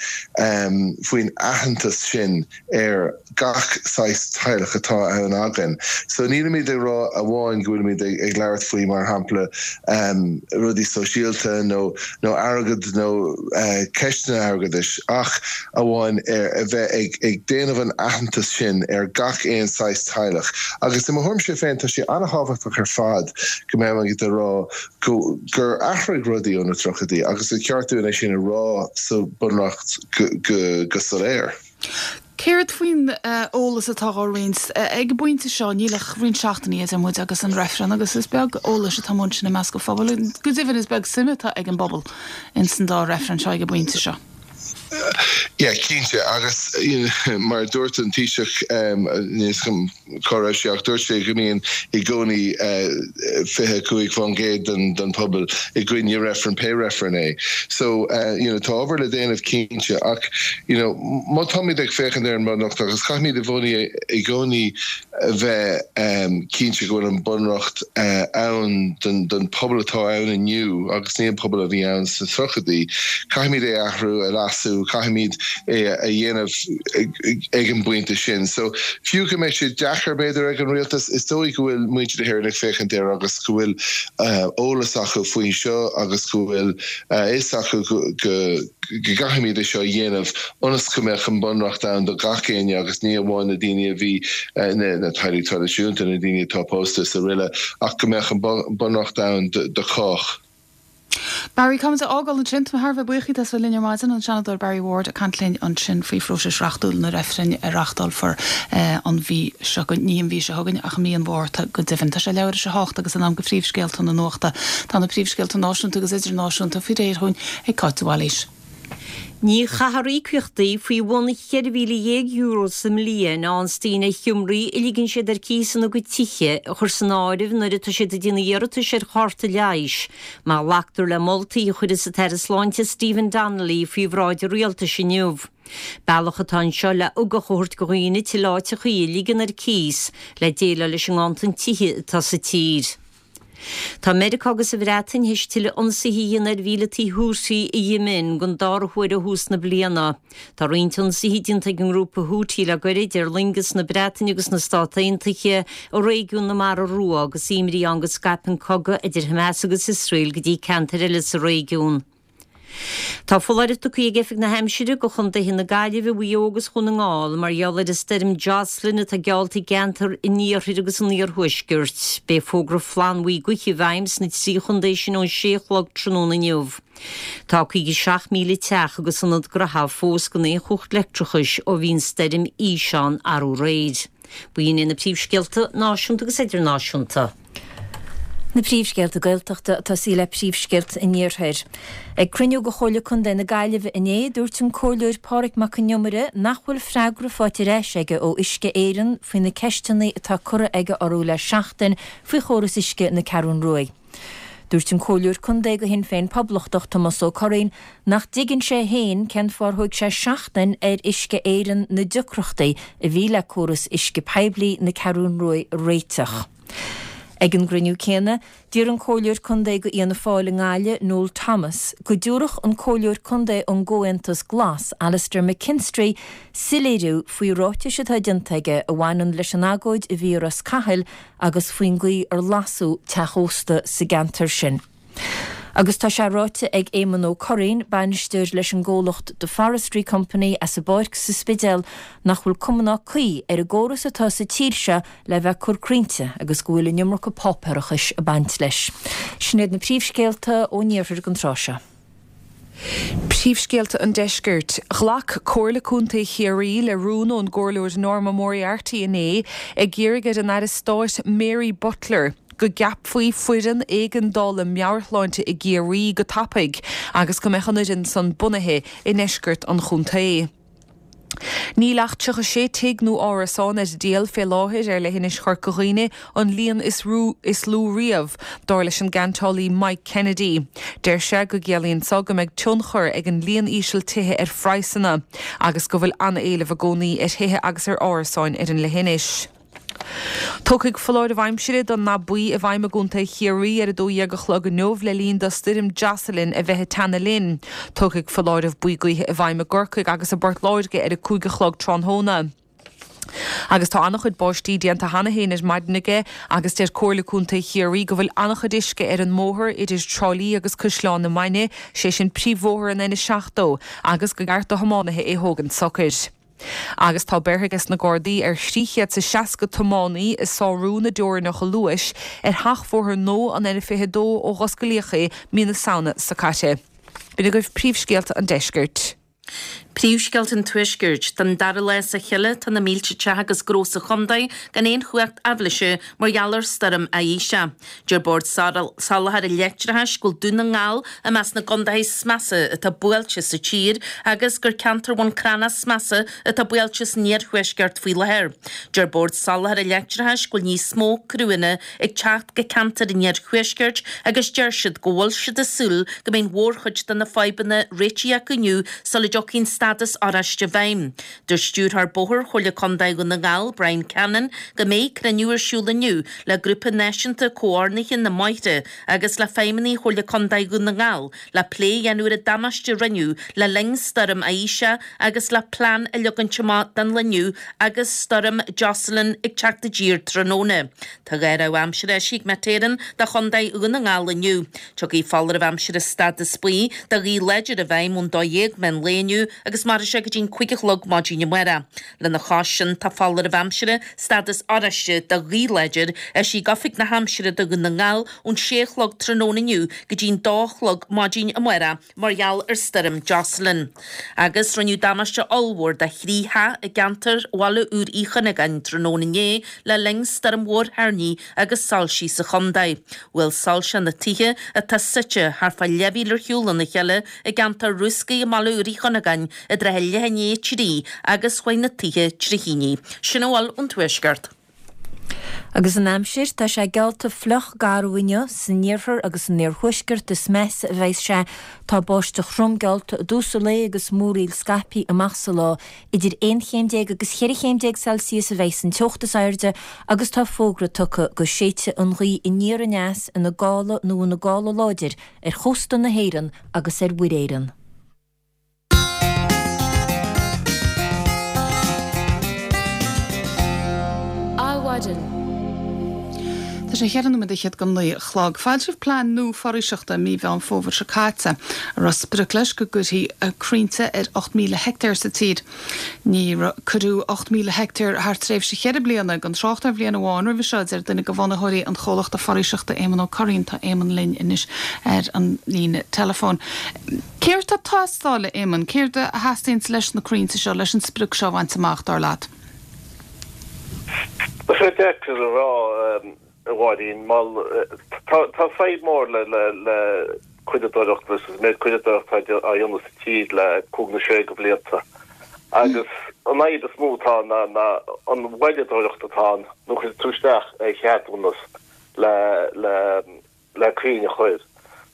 faoin aitheantas sin ar gach saghas teaghlach atá ann againn. So nílimid ag rá amháin go bhfuilimid ag labhairt faoi, mar shampla, rudaí sóisialta nó nó airgead nó ceisteanna airgeadais ach amháin ar a bheith ag ag déanamh an aitheantas sin ar gach aon saghas teaghlach. Agus i mo thuairimse féin tá sé an-thábhachtach ar fad go mbeimid ag rá go gur athraigh rudaí ó. ó na tríochaidí agus is ceart dúinn é sin a rá sa Bhunreacht go soiléir. Céard faoin eolas atá á roinnt? Ag an bpointe seo, níl ach roinnt seachtainí idir muid agus an reifreann agus is beag eolais atá amuigh ansin i measc an phobail. Go deimhin, is beag suim atá ag an bpobal ins an dá reifreann seo ag an bpointe seo. Yeah, cinnte, agus mar a dúirt an Taoiseach, níl 'fhios agam cá raibh sé ach dúirt sé go mbíonn i gcónaí 25% den pobal i gcoinne reifreann, pé reifreann é. So, you know, tá obair le déanamh cinnte ach, you know, má táimid ag féachaint ar an mBunreacht agus caithfimid i gcónaí i gcónaí a bheith cinnte go bhfuil an Bunreacht ann don pobal atá ann inniu agus ní an pobal a bhí ann sna tríochaidí. Caithfimid é a athrú, a leasú, caithfimid é a dhéanamh ag an bpointe sin. So, fiú go mbeidh sé deacair b'fhéidir ag an rialtas, is dóigh go bhfuil muintir na hÉireann ag féachaint air agus go bhfuil eolas acu faoi seo agus go bhfuil a fhios acu go go gcaithfimid é seo a dhéanamh ionas go mbeadh an Bunreacht ann do gach éinne agus ní amháin na daoine a bhí, na teaghlaigh traidisiúnta, na daoine atá pósta is aroile, ach go mbeadh an Bunreacht ann do chách. Barry, Caithfimid a fhágáil ansin. Tá mé thar a bheith buíoch díot as bheith linn ar maidin, an Seanadóir Barry Ward ag caint linn ansin faoi phróiseas reachtúil na reifrinn a reachtálfar an mhí seo chugainn, ní an mhí seo chugainn ach i mí an Mhárta go deimhin. Tá sé leathuair tar éis a hocht agus in am do phríomhscéalta na nuachta. Tá na príomhscéalta náisiúnta agus idirnáisiúnta faoi réir dhúinn ag Cáit de Bhailís. Ní chaithfear íocaíochtaí faoi bhun €14,000 sa mbliain a fhaigheanns daoine ar sheomraí a ligeann siad ar cíos ina gcuid tithe a chur san áireamh nuair atá siad ag déanamh iarratais ar chárta leighis, má ghlactar le moltaí a chuirfeas an tAire Sláinte Stephen Donnelly faoi bhráid an Rialtais inniu. Bealach atá anseo le ugach a thabhairt do dhaoine tuilleadh áiteachaí a ligean ar cíos le déileáil leis an nganntan tithe atá sa tír. Tá Meiriceá agus an Bhreatain théis tuilleadh ionsaithe a dhéanamh ar mhíleataigh Houthi i Yemen don dara huair ó thús na bliana. Tá roinnt ionsaithe déanta ag an ngrúpa Houthi le goirid ar loingeas na Breataine agus na Stát Aontaithe i réigiún na Mara Rua agus imní ann go scaipfidh an cogadh idir Hamas agus Iosrael go dtí ceantair eile sa réigiún. Tá foláireamh tugtha ag Oifig na hAimsire do chontaetha na Gaillimhe, Mhaigh Eo agus Dhún na nGall mar gheall ar an stoirm Jocelyn atá geallta i gceantar an iarthair agus an iarthuaiscirt. Beidh fógra flannbhuí gaoithe i bhfeidhm sna 3 chontae sin ón 6 a chlog tráthnóna inniu. Tá 57,000 teach agus ionad gnoithe fós gan aon chumhacht leictreachais ó bhí an stoirm Isha ann arú aréir. B'in iad na príomhscéalta náisiúnta agus idirnáisiúnta. Na príomhscéalta Gaeltachta ag tosaí le príomhscéalta an Iarthair. Ag cruinniú de Chomhairle Contae na Gaillimhe inné, dúirt an Comhairleoir Pádraig Mac Con Iomaire nach bhfuil freagra faighte ar ais aige ó Uisce Éireann faoi na ceisteanna atá curtha aige orthu le seachtain faoi chóras uisce na Ceathrún Ruaidh. Dúirt an Comhairleoir Contae do Shinn Féin Poblachtach, Tomás Ó Curraoin, nach dtuigeann sé féin cén fáth ar thóig sé seachtain ar Uisce Éireann na deacrachtaí a bhí le córas uisce poiblí na Ceathrún Ruaidh a réiteach. Ag an gcruinniú céanna, d'iarr an Comhairleoir Contae do Fhianna Fáil i nGaillimh, Noel Thomas, go dtabharfadh an Comhairleoir Contae ón gComhaontas Glas, Alastair McKinstry, soiléiriú faoi ráitis atá déanta aige a bhaineann leis an agóid a bhí i Ros Cathail agus faoin gcaoi ar lasadh teach ósta sa gceantar sin. Agus tá sé ráite ag Éamonn Ó Curraoin, bainisteoir leis an gcomhlacht The Forestry Company as an bPáirc sa Spidéal, nach bhfuil cuma ná caoi ar an gcóras atá sa tír seo le bheith ag cur crainnte agus go bhfuil an iomarca páipéarachais ag baint leis. Sin iad na príomhscéalta ón iarthar don tráth seo. Príomhscéalta an Deiscirt. Ghlac Comhairle Contae Chiarraí le rún ón gComhairleoir Norma Moriarty inné ag iarraidh ar an Aire Stáit Mary Butler go gceapfaí foireann éigeandála meabhairshláinte i gCiarraí go tapaidh agus go mbeadh an fhoireann san bunaithe i ndeisceart an chontae. Níl ach 36 tigh nó árasán ar díol fé láthair ar leithinis Chorca Dhuibhne, an líon is is lú riamh, dar leis an gceantálaí Mike Kennedy. Deir sé go gciallaíonn so go mbeidh tionchar ag an líon íseal tithe ar phraghsanna agus go bhfuil an-éileamh i gcónaí ar thithe agus ar árasáin ar an leithinis. Tiocfaidh foláireamh aimsire don ndath buí i bhfeidhm i gContae Chiarraí ar 12 a chlog inniu le linn do Stoirm Jocelyn a bheith ag teannadh linn. Tiocfaidh foláireamh buí gaoithe i bhfeidhm i gCorcaigh agus i bPort Láirge ar 5 a chlog tráthnóna. Agus tá an-chuid báistí déanta cheana féin ar maidin aige agus deir Comhairle Contae Chiarraí go bhfuil an-chuid uisce ar an mbóthar idir Trá Lí agus Caisleán na Mainge, sé sin príomhbhóthar an N70, agus gur cheart do thiománaithe é thógaint socair. Agus tá beirthe ages na Gardaí ar 360 tiománaí ag sárú na dteorainneacha luais ar sheachbhóthar nua an N22 ó dh'osclaíodh é mí na Samhna seo caite. B'in agaibh príomhscéalta an deiscirt. Príomhscéalta an Tuaiscirt. Don dara lá as a chéile tá na mílte teach agus gnó sa chontae gan aon chumhacht aibhléise mar gheall ar stoirm Isha. Deir Bord Soláthair an Leictreachais go bhfuil Dún na nGall i measc na gcontaetha is measa atá buailte sa tír agus gur ceantar Bhun Cranncha is measa atá buailte san iarthuaisceart faoi láthair. Deir Bord Soláthair an Leictreachais go bhfuil níos mó criúnna ag teacht go ceantair an iarthuaiscirt agus deir siad go bhfuil siad ag súil go mbeidh an mhórchuid de na fadhbanna réitithe acu inniu sula dtiocfaidh an stádas oráiste i bhfeidhm. Dúirt Stiúrthóir Bóthair Chomhairle Contae Dhún na nGall, Brian Cannon, go mbeidh cruinniú ar siúl inniu le Grúpa Náisiúnta Comhordnaithe na mBóithre agus le feidhmeannaigh Chomhairle Contae Dhún na nGall le plé a dhéanamh ar an damáiste a rinneadh le linn Stoirm Isha agus le plean a leagaint amach don lá inniu agus Stoirm Jocelyn ag teacht i dtír tráthnóna. Tá 2 rabhadh aimsire eisithe ag Met Éireann do Chontae Dhún na nGall inniu. Tiocfaidh foláireamh aimsire stádas buí do ghaoth láidir i bhfeidhm ón 12 meán lae inniu agus mairfidh sé go dtí'n 5 a chlog maidin amárach. Lena chois sin tá foláireamh aimsire stádas oráiste do ghaoth láidir eisithe ag Oifig na hAimsire do Dhún na nGall ón 6 a chlog tráthnóna inniu go dtí'n 2 a chlog maidin amárach mar gheall ar Stoirm Jocelyn. Agus rinneadh damáiste ollmhór do thrí theach i gceantar Bhaile Úr Uí Chuinneagáin tráthnóna inné le linn stoirm mhór thoirní agus soilsí sa chontae. Bhuail soilse na tithe, atá suite thart fá leathmhíle ar shiúl óna chéile i gceantar Rúscaí i mBaile Úr Uí Chuinneagáin i dtrátha leath i ndiaidh a 3 agus chuaigh na tithe trí thine. Sin a bhfuil ón Tuaisceart. Agus an aimsir, tá sé geallta fliuch garbh inniu, san iarthar agus san iarthuaisceart is measa a bheas sé. Tá báisteach throm geallta i dtús an lae agus múraíl scaipthe amach sa lá. Idir 11 chéim agus 14 chéim Celsius a bheas an teocht is airde agus tá fógra tugtha go séidfidh an ghaoth aniar aneas ina gála nó ina gála láidir ar chósta na hÉireann agus ar Mhuir Éireann. Adhmhaidin. Tá sé cheithre nóiméad fhichead go naoi a chlog. Foilsíodh plean nua foraoiseachta i mí Mheán Fómhair seo caite, a raibh sprioc leis go gcuirfí crainnte ar 8,000 heictéar sa tír. Níor cuireadh 8,000 heictéar thar tréimhse cheithre bliana, gan trácht ar bhliain amháin roimhe seo, a deir duine de bhunaitheoirí an chomhlachta foraoiseachta, Éamonn Ó Curraoin. Tá Éamonn linn anois ar an líne teileafóin. Céard tá ag teastáil, a Éamoinn? Céard a theastaíonns leis na crainnte seo, leis an sprioc seo a bhaint amach, dar leat? Tá sé deacair a rá, a Mháirín. Tá fadhb mór le coilleadóireacht agus an méid coilleadóireachta atá á dhéanamh sa tír le cúig nó sé de bhlianta. Agus an fhadhb is mó atá ann ná an mhoilleadóireacht atá ann nuair a chuireann tú isteach ar cheadúnas le le crainn a chur.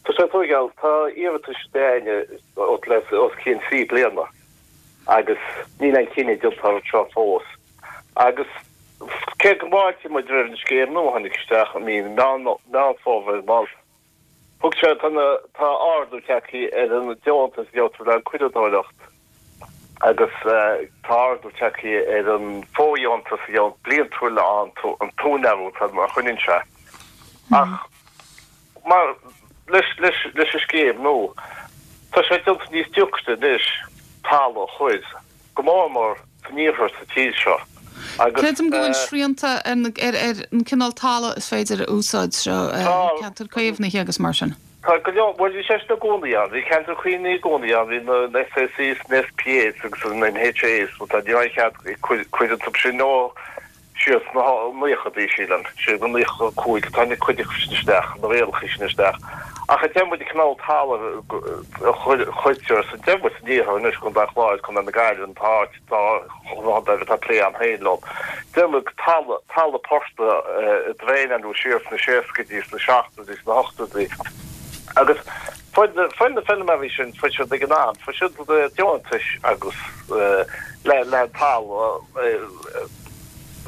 Tá sé tóigeáil, tá iarratais againne le os cionn 3 bliana agus níl aon chinneadh déanta orthu seo fós. Agus cé go bhfáiltíonn muid roimh an scéim nua a tháinig isteach i mí Meán Fómhair mar thug sé, tá na, tá ardú tagtha ar an deontas a gheobhtar le coilleadóireacht agus tá ardú tagtha ar an bhfóirdheontas a gheobhann bliantúil an t-úinéir atá mar choinníonn sé. Ach mar leis leis leis an scéim nua, tá sé déanta níos deacra anois talamh a chur, go mór mór san iarthar sa tír seo agus. Creidim go bhfuil srianta ar na ar ar an cineál talaimh is féidir a úsáid seo, ceantair caomhnaithe agus mar sin. Tá go leor, bhuel bhí sé sin i gcónaí ann, bhí ceantair caomhnaithe i gcónaí ann, bhí na SACs, na SPAs agus na HAs, bhuel tá, ní raibh aon chead ag cur cur iontu sin ó siar sna naochadaí sílim, siar go 95 tháinig cuid acu sin isteach, na rialacha sin isteach. Ach deir muid an cineál talaimh a chuirtear sa, deir muid san iarthar anois, Contae an Chláir, Contae na Gaillimhe, an t-áit dá chontae atá plé agam féin leo. Deir muid talamh, talamh portaigh a draenáladh siar sna seascaidí, sna seachtóidí, sna hochtóidí agus fuair na, fuair na feilméaraí sin, fuair siad ag an am, fuair siad deontais agus le, le talamh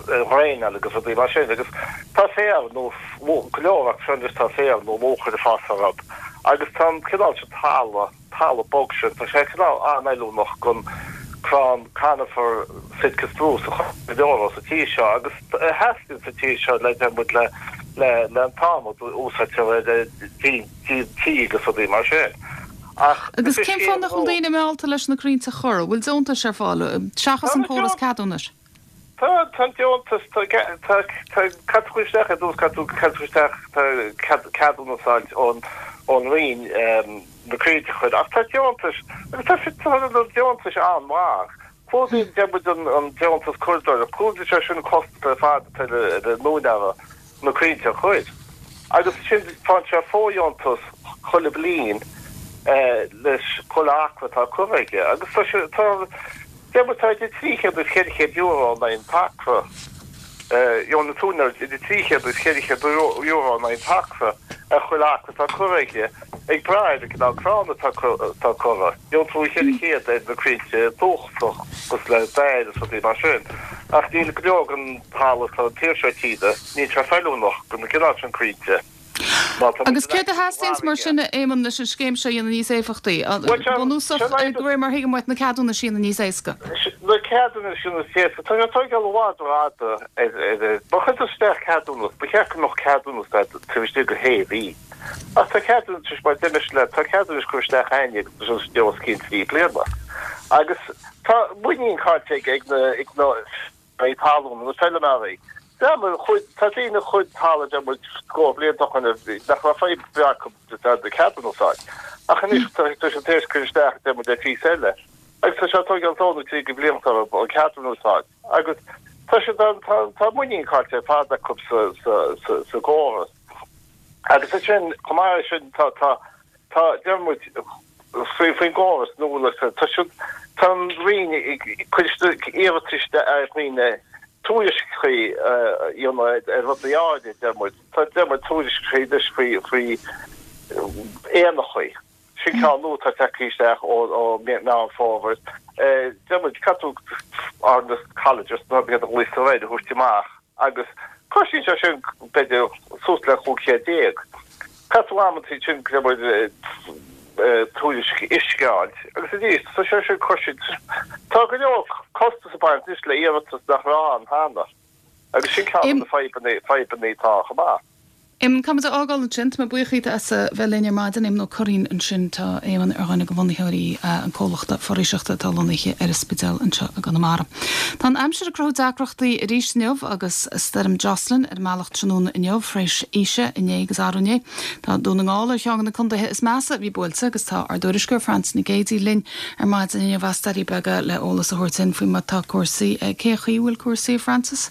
a dhraenáil agus rudaí mar sin agus tá féar nó go leor acu seo anois tá féar nó luachair ag fás orthu agus tá an cineál sin talamh, talamh bog sin, tá sé cineál an-fheiliúnach don crann conifer Sitka spruce a chur go leor sa tír seo agus a theastaíonn sa tír seo le deir muid le le le an t-adhmad a úsáidtear ar díon díon tí agus rudaí mar sin. Ach Agus cén fáth nach bhfuil daoine meallta leis na crainnte a chur? An bhfuil deontais ar fáil, seachas an córas ceadúnais? Tá, tá an deontas, tá, tá, tá, caithfidh tú cur isteach ar dtús, caithfidh tú, caithfidh tú cur isteach, tá cead, ceadúnas a fháilt ón, ón Roinn na crainnte a chur, ach tá deontais, agus tá, tá na deontais an-mhaith. Clúdaíonn, deir muid, an, an deontas curadóireachta, clúdaíonn sé sin an costas ar fad atá ar, ar an úinéara na crainnte a chur. Agus ansin faigheann sé fóirdheontas chuile bliain leis chuile acra atá curtha aige. Agus tá sé, tá, deir muid, tá idir 300 agus 400 euro in aghaidh an t-acra, gheobhaidh an t-úinéir idir 300 agus 400 euro in aghaidh an t-acra ar chuile acra atá curtha aige, ag brath ar an gcineál crann atá curtha. Gheobhaidh tú 400 ar na crainnte dúchasach cosúil le dair is rudaí mar sin. Ach níl go leor den talamh atá an taobh seo tíre, níl sé feiliúnach do na cineál sin crainnte. Má tá muid Agus céard a theastaíonns mar sin, a Éamonn, leis an scéim seo a dhéanamh níos éifeachtaí? Bunúsach, de réir mar a thuigim uait, na ceadúnais a dhéanamh níos éasca. Na ceadúnais a dhéanamh níos éasca. Tá sé ag tóigeáil i bhfad rófhada ar, ar, má chuireann tú isteach ceadúnas, ba cheart go mbeadh ceadúnas agat taobh istigh de shé mhí. Ach tá ceadúnais, mar deimis leat, tá ceadúnais curtha isteach a'ainne agus tá sé os cionn 3 bliana. Agus tá muinín caillte ag ag na ag na úinéirí talún, na feilméaraí. Deir muid, chuaigh, tá daoine a chuaigh talamh, deir muid, scór blianta ó shin nach raibh fadhb ar bith acu le ceadúnas a fháil. Ach anois tá tá siad tar éis cur isteach, deir muid, ar phíosa eile. Agus tá sé ag tóigeáil dó nó trí de bhlianta orthu an ceadúnas a fháil. Agus tá siad, tá tá muinín caillte ar fad acu sa sa sa sa gcóras. Agus ansin, chomh maith leis sin, tá, tá, tá, deir muid, faoi, faoin gcóras nua, like, tá siad, tá an Roinn ag cur iarratais ar dhaoine tuairiscí a dhéanamh ar rudaí áirithe, deir muid. Tá, deir muid, tuairiscí anois faoi, faoi éanachaí. Sin ceann nua atá tagtha isteach ó Meán Fómhair. Deir muid, caithfidh tú ar na colleges, nó iad a ghlaotar air, a thabhairt amach agus cosnaíonn sé sin b'fhéidir suas le 15 céad. Caithfidh tú amantaí sin, deir muid, tuairisc uisce a fháilt agus arís tá sé sin cosanta. Tá go leor costas ag baint anois le iarratas nach raibh ann cheana agus sin ceann de na fadhbanna atá chomh maith. Éamonn, Caithfidh muid a fhágáil ansin. Tá mé buíoch díot as a bheith linn ar maidin. Éamonn Ó Curraoin ansin. Tá Éamonn ar dhuine de bhunaitheoirí an comhlachta foraoiseachta atá lonnaithe ar an Spidéal anseo i gConamara. Tá an aimsir ag cruthú deacrachtaí arís inniu agus Stoirm Jocelyn ar an mbealach tráthnóna inniu tar éis Isha inné agus arú inné. Tá Dún na nGall ar cheann de na contaetha is measa a bhí buailte agus tá ár dtuairisceoir Frances Nic Géadaigh linn ar maidin inniu as Doirí Beaga le eolas a thabhairt dúinn faoi mar atá cúrsaí. Cén chaoi a bhfuil cúrsaí, a Frances?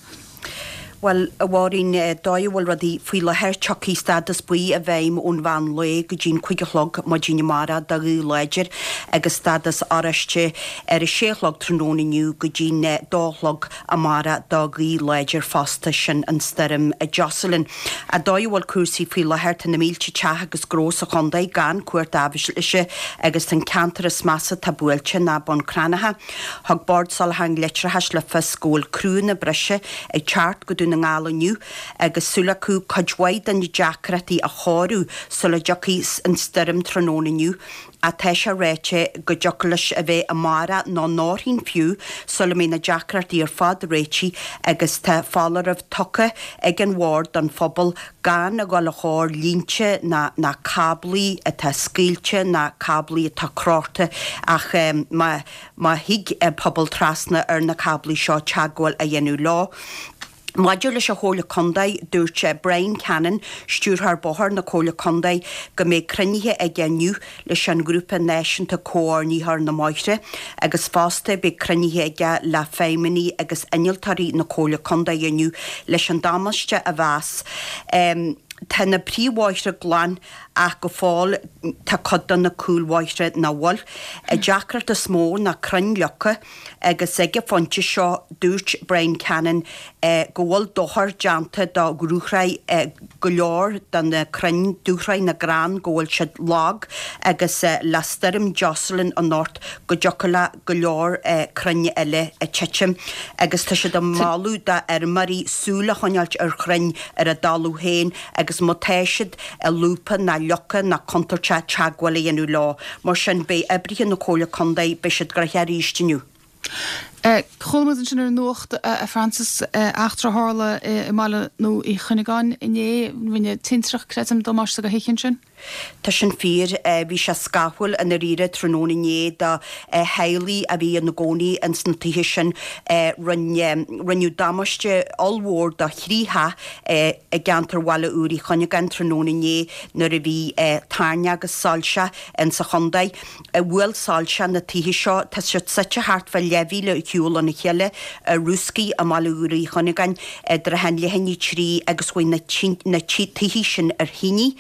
Bhuel, a Mháirín, dóigh a bhfuil rudaí faoi láthair, tiocfaidh stádas buí i bhfeidhm ón mheán lae go dtí'n 5 a chlog maidin amárach do ghaoth láidir agus stádas oráiste ar a sé a chlog tráthnóna inniu go dtí'n dó a chlog amárach do ghaoth láidir fosta, sin an stoirm Jocelyn. An dóigh a bhfuil cúrsaí faoi láthair, tá na mílte teach agus gnó sa chontae gan cumhacht aibhléise agus tá an ceantar is measa atá buailte ná Bun Cranncha. Thug Bord Soláthair an Leictreachais le fios go bhfuil criúnna breise ag teacht go Dún na nGall inniu agus súil acu cuid mhaith de na deacrachtaí a chóiriú sula dtiocfaidh an stoirm tráthnóna inniu ach tá sé ráite go dtiocfadh leis a bheith amárach nó ndorthaoin fiú sula mbeidh na deacrachtaí ar fad réitithe agus tá foláireamh tugtha ag an bhord don phobal gan a dhul a chóir línte ná ná cáblaí atá scaoilte ná cáblaí atá crochta ach má má thig an pobal trasna ar na cáblaí seo teagmháil a dhéanamh leo. Maidir leis an Chomhairle Contae, dúirt Brian Cannon, Stiúrthóir Bóthair na Comhairle Contae, go mbeidh cruinnithe aige inniu leis an Ghrúpa Náisiúnta Comhordaitheoir na mBóithre agus fosta beidh cruinnithe aige le feidhmeannaigh agus innealtóirí na Comhairle Contae inniu leis an damáiste a mheas. Tá na príomhbhóithre glan ach go fóill tá cuid de na cúlbhóithre nach bhfuil. An deacracht is mó ná crainn leagtha agus ag an phointe seo dúirt Brian Cannon go bhfuil dochar déanta do dhúshraith go leor de na crainn, dúshraith na gcrann, go bhfuil siad lag agus le stoirm Jocelyn anocht go dtiocfadh le go leor crainn eile titim agus tá siad ag moladh d'fheirmeoirí súil a choinneáilt ar chrainn ar a dtalamh féin agus má tá siad lúbtha ná leagtha ná contúirteach teagmháil a dhéanamh leo. Mar sin beidh oibrithe na Comhairle Contae, beidh siad gnoitheach arís inniu. Chuala muid ansin ar an nuacht, a Frances, eachtra a tharla i mBaile Uí Chuinneagáin inné. Rinne tintreach, creidim, damáiste do thithe ansin. Tá sin fíor. Bhí sé scáthúil i ndáiríre tráthnóna inné do theaghlaigh a bhí ina gcónaí ins na tithe sin. Rinne, rinneadh damáiste ollmhór do thrí theach i gceantar Bhaile Úr Uí Chuinneagáin tráthnóna inné nuair a bhí toirneach agus soilse ins an chontae. Bhuail soilse na tithe seo, tá siad suite thart fá leathmhíle ar shiúl óna chéile i Rúscaigh i mBaile Úr Uí Chuinneagáin i dtrátha an leath i ndiaidh a trí agus chuaigh na tithe sin ar thine.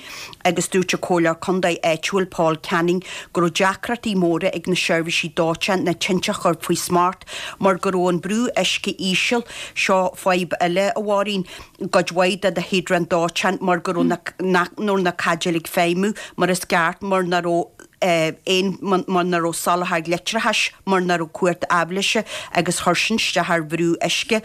agus dúirt an Comhairleoir Contae áitiúil Paul Canning go raibh deacrachtaí móra ag na seirbhísí dóiteáin na tinte a chur faoi smacht mar go raibh an brú uisce íseal. Seo fadhb eile, a Mháirín, i gcuid mhaith de na híodráin dóiteáin mar go raibh na nach raibh na caidéil ag feidhmiú mar is ceart mar nach raibh aon mar nach raibh soláthar leictreachais mar nach raibh cumhacht aibhléise agus chuir sin isteach ar bhrú uisce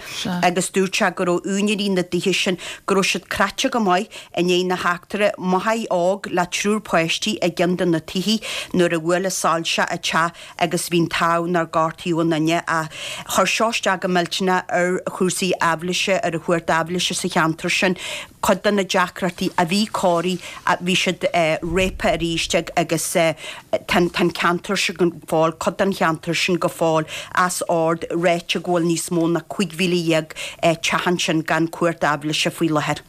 agus dúirt sé go raibh úinéirí na dtithe sin go raibh siad cráite go maith i ndiaidh na heachtra, máthair óg le triúr páistí i gceann de na tithe nuair a bhuail an soilse a teach agus bhí an t-ádh nár gortaíodh aon duine ach chuir seo isteach go millteanach ar chúrsaí aibhléise, ar an chumhacht aibhléise sa cheantar sin. Cuid de na deacrachtaí a bhí cóirithe, bhí siad réabtha arís agus tá an ceantar sin go fóill, cuid den cheantar sin go fóill as ord, ráite go bhfuil níos mó ná 15,000 teach ansin gan cumhacht aibhléise faoi láthair.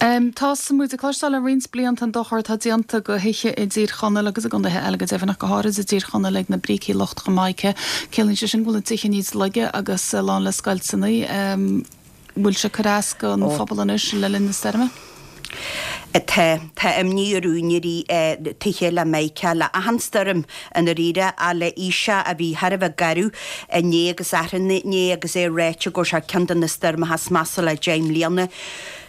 Tá muid ag cloisteáil le roinnt blianta an dochar atá déanta do thithe i dTír Chonaill agus i gcontaetha eile go deimhin ach go háirid i dTír Chonaill ag na brící lochtacha mica. Ciallaíonn sé sin go bhfuil na tithe níos laige agus lán le scoilteanna. Bhfuil sé ag cur as don phobal anois le linn na stoirme? Tá. Tá imní ar úinéirí tithe le mica le achan stoirm i ndáiríre ach le Isha a bhí thar a bheith garbh inné agus arú inné agus é ráite go raibh sé ceann de na stoirmeacha is measa le 10 mbliana.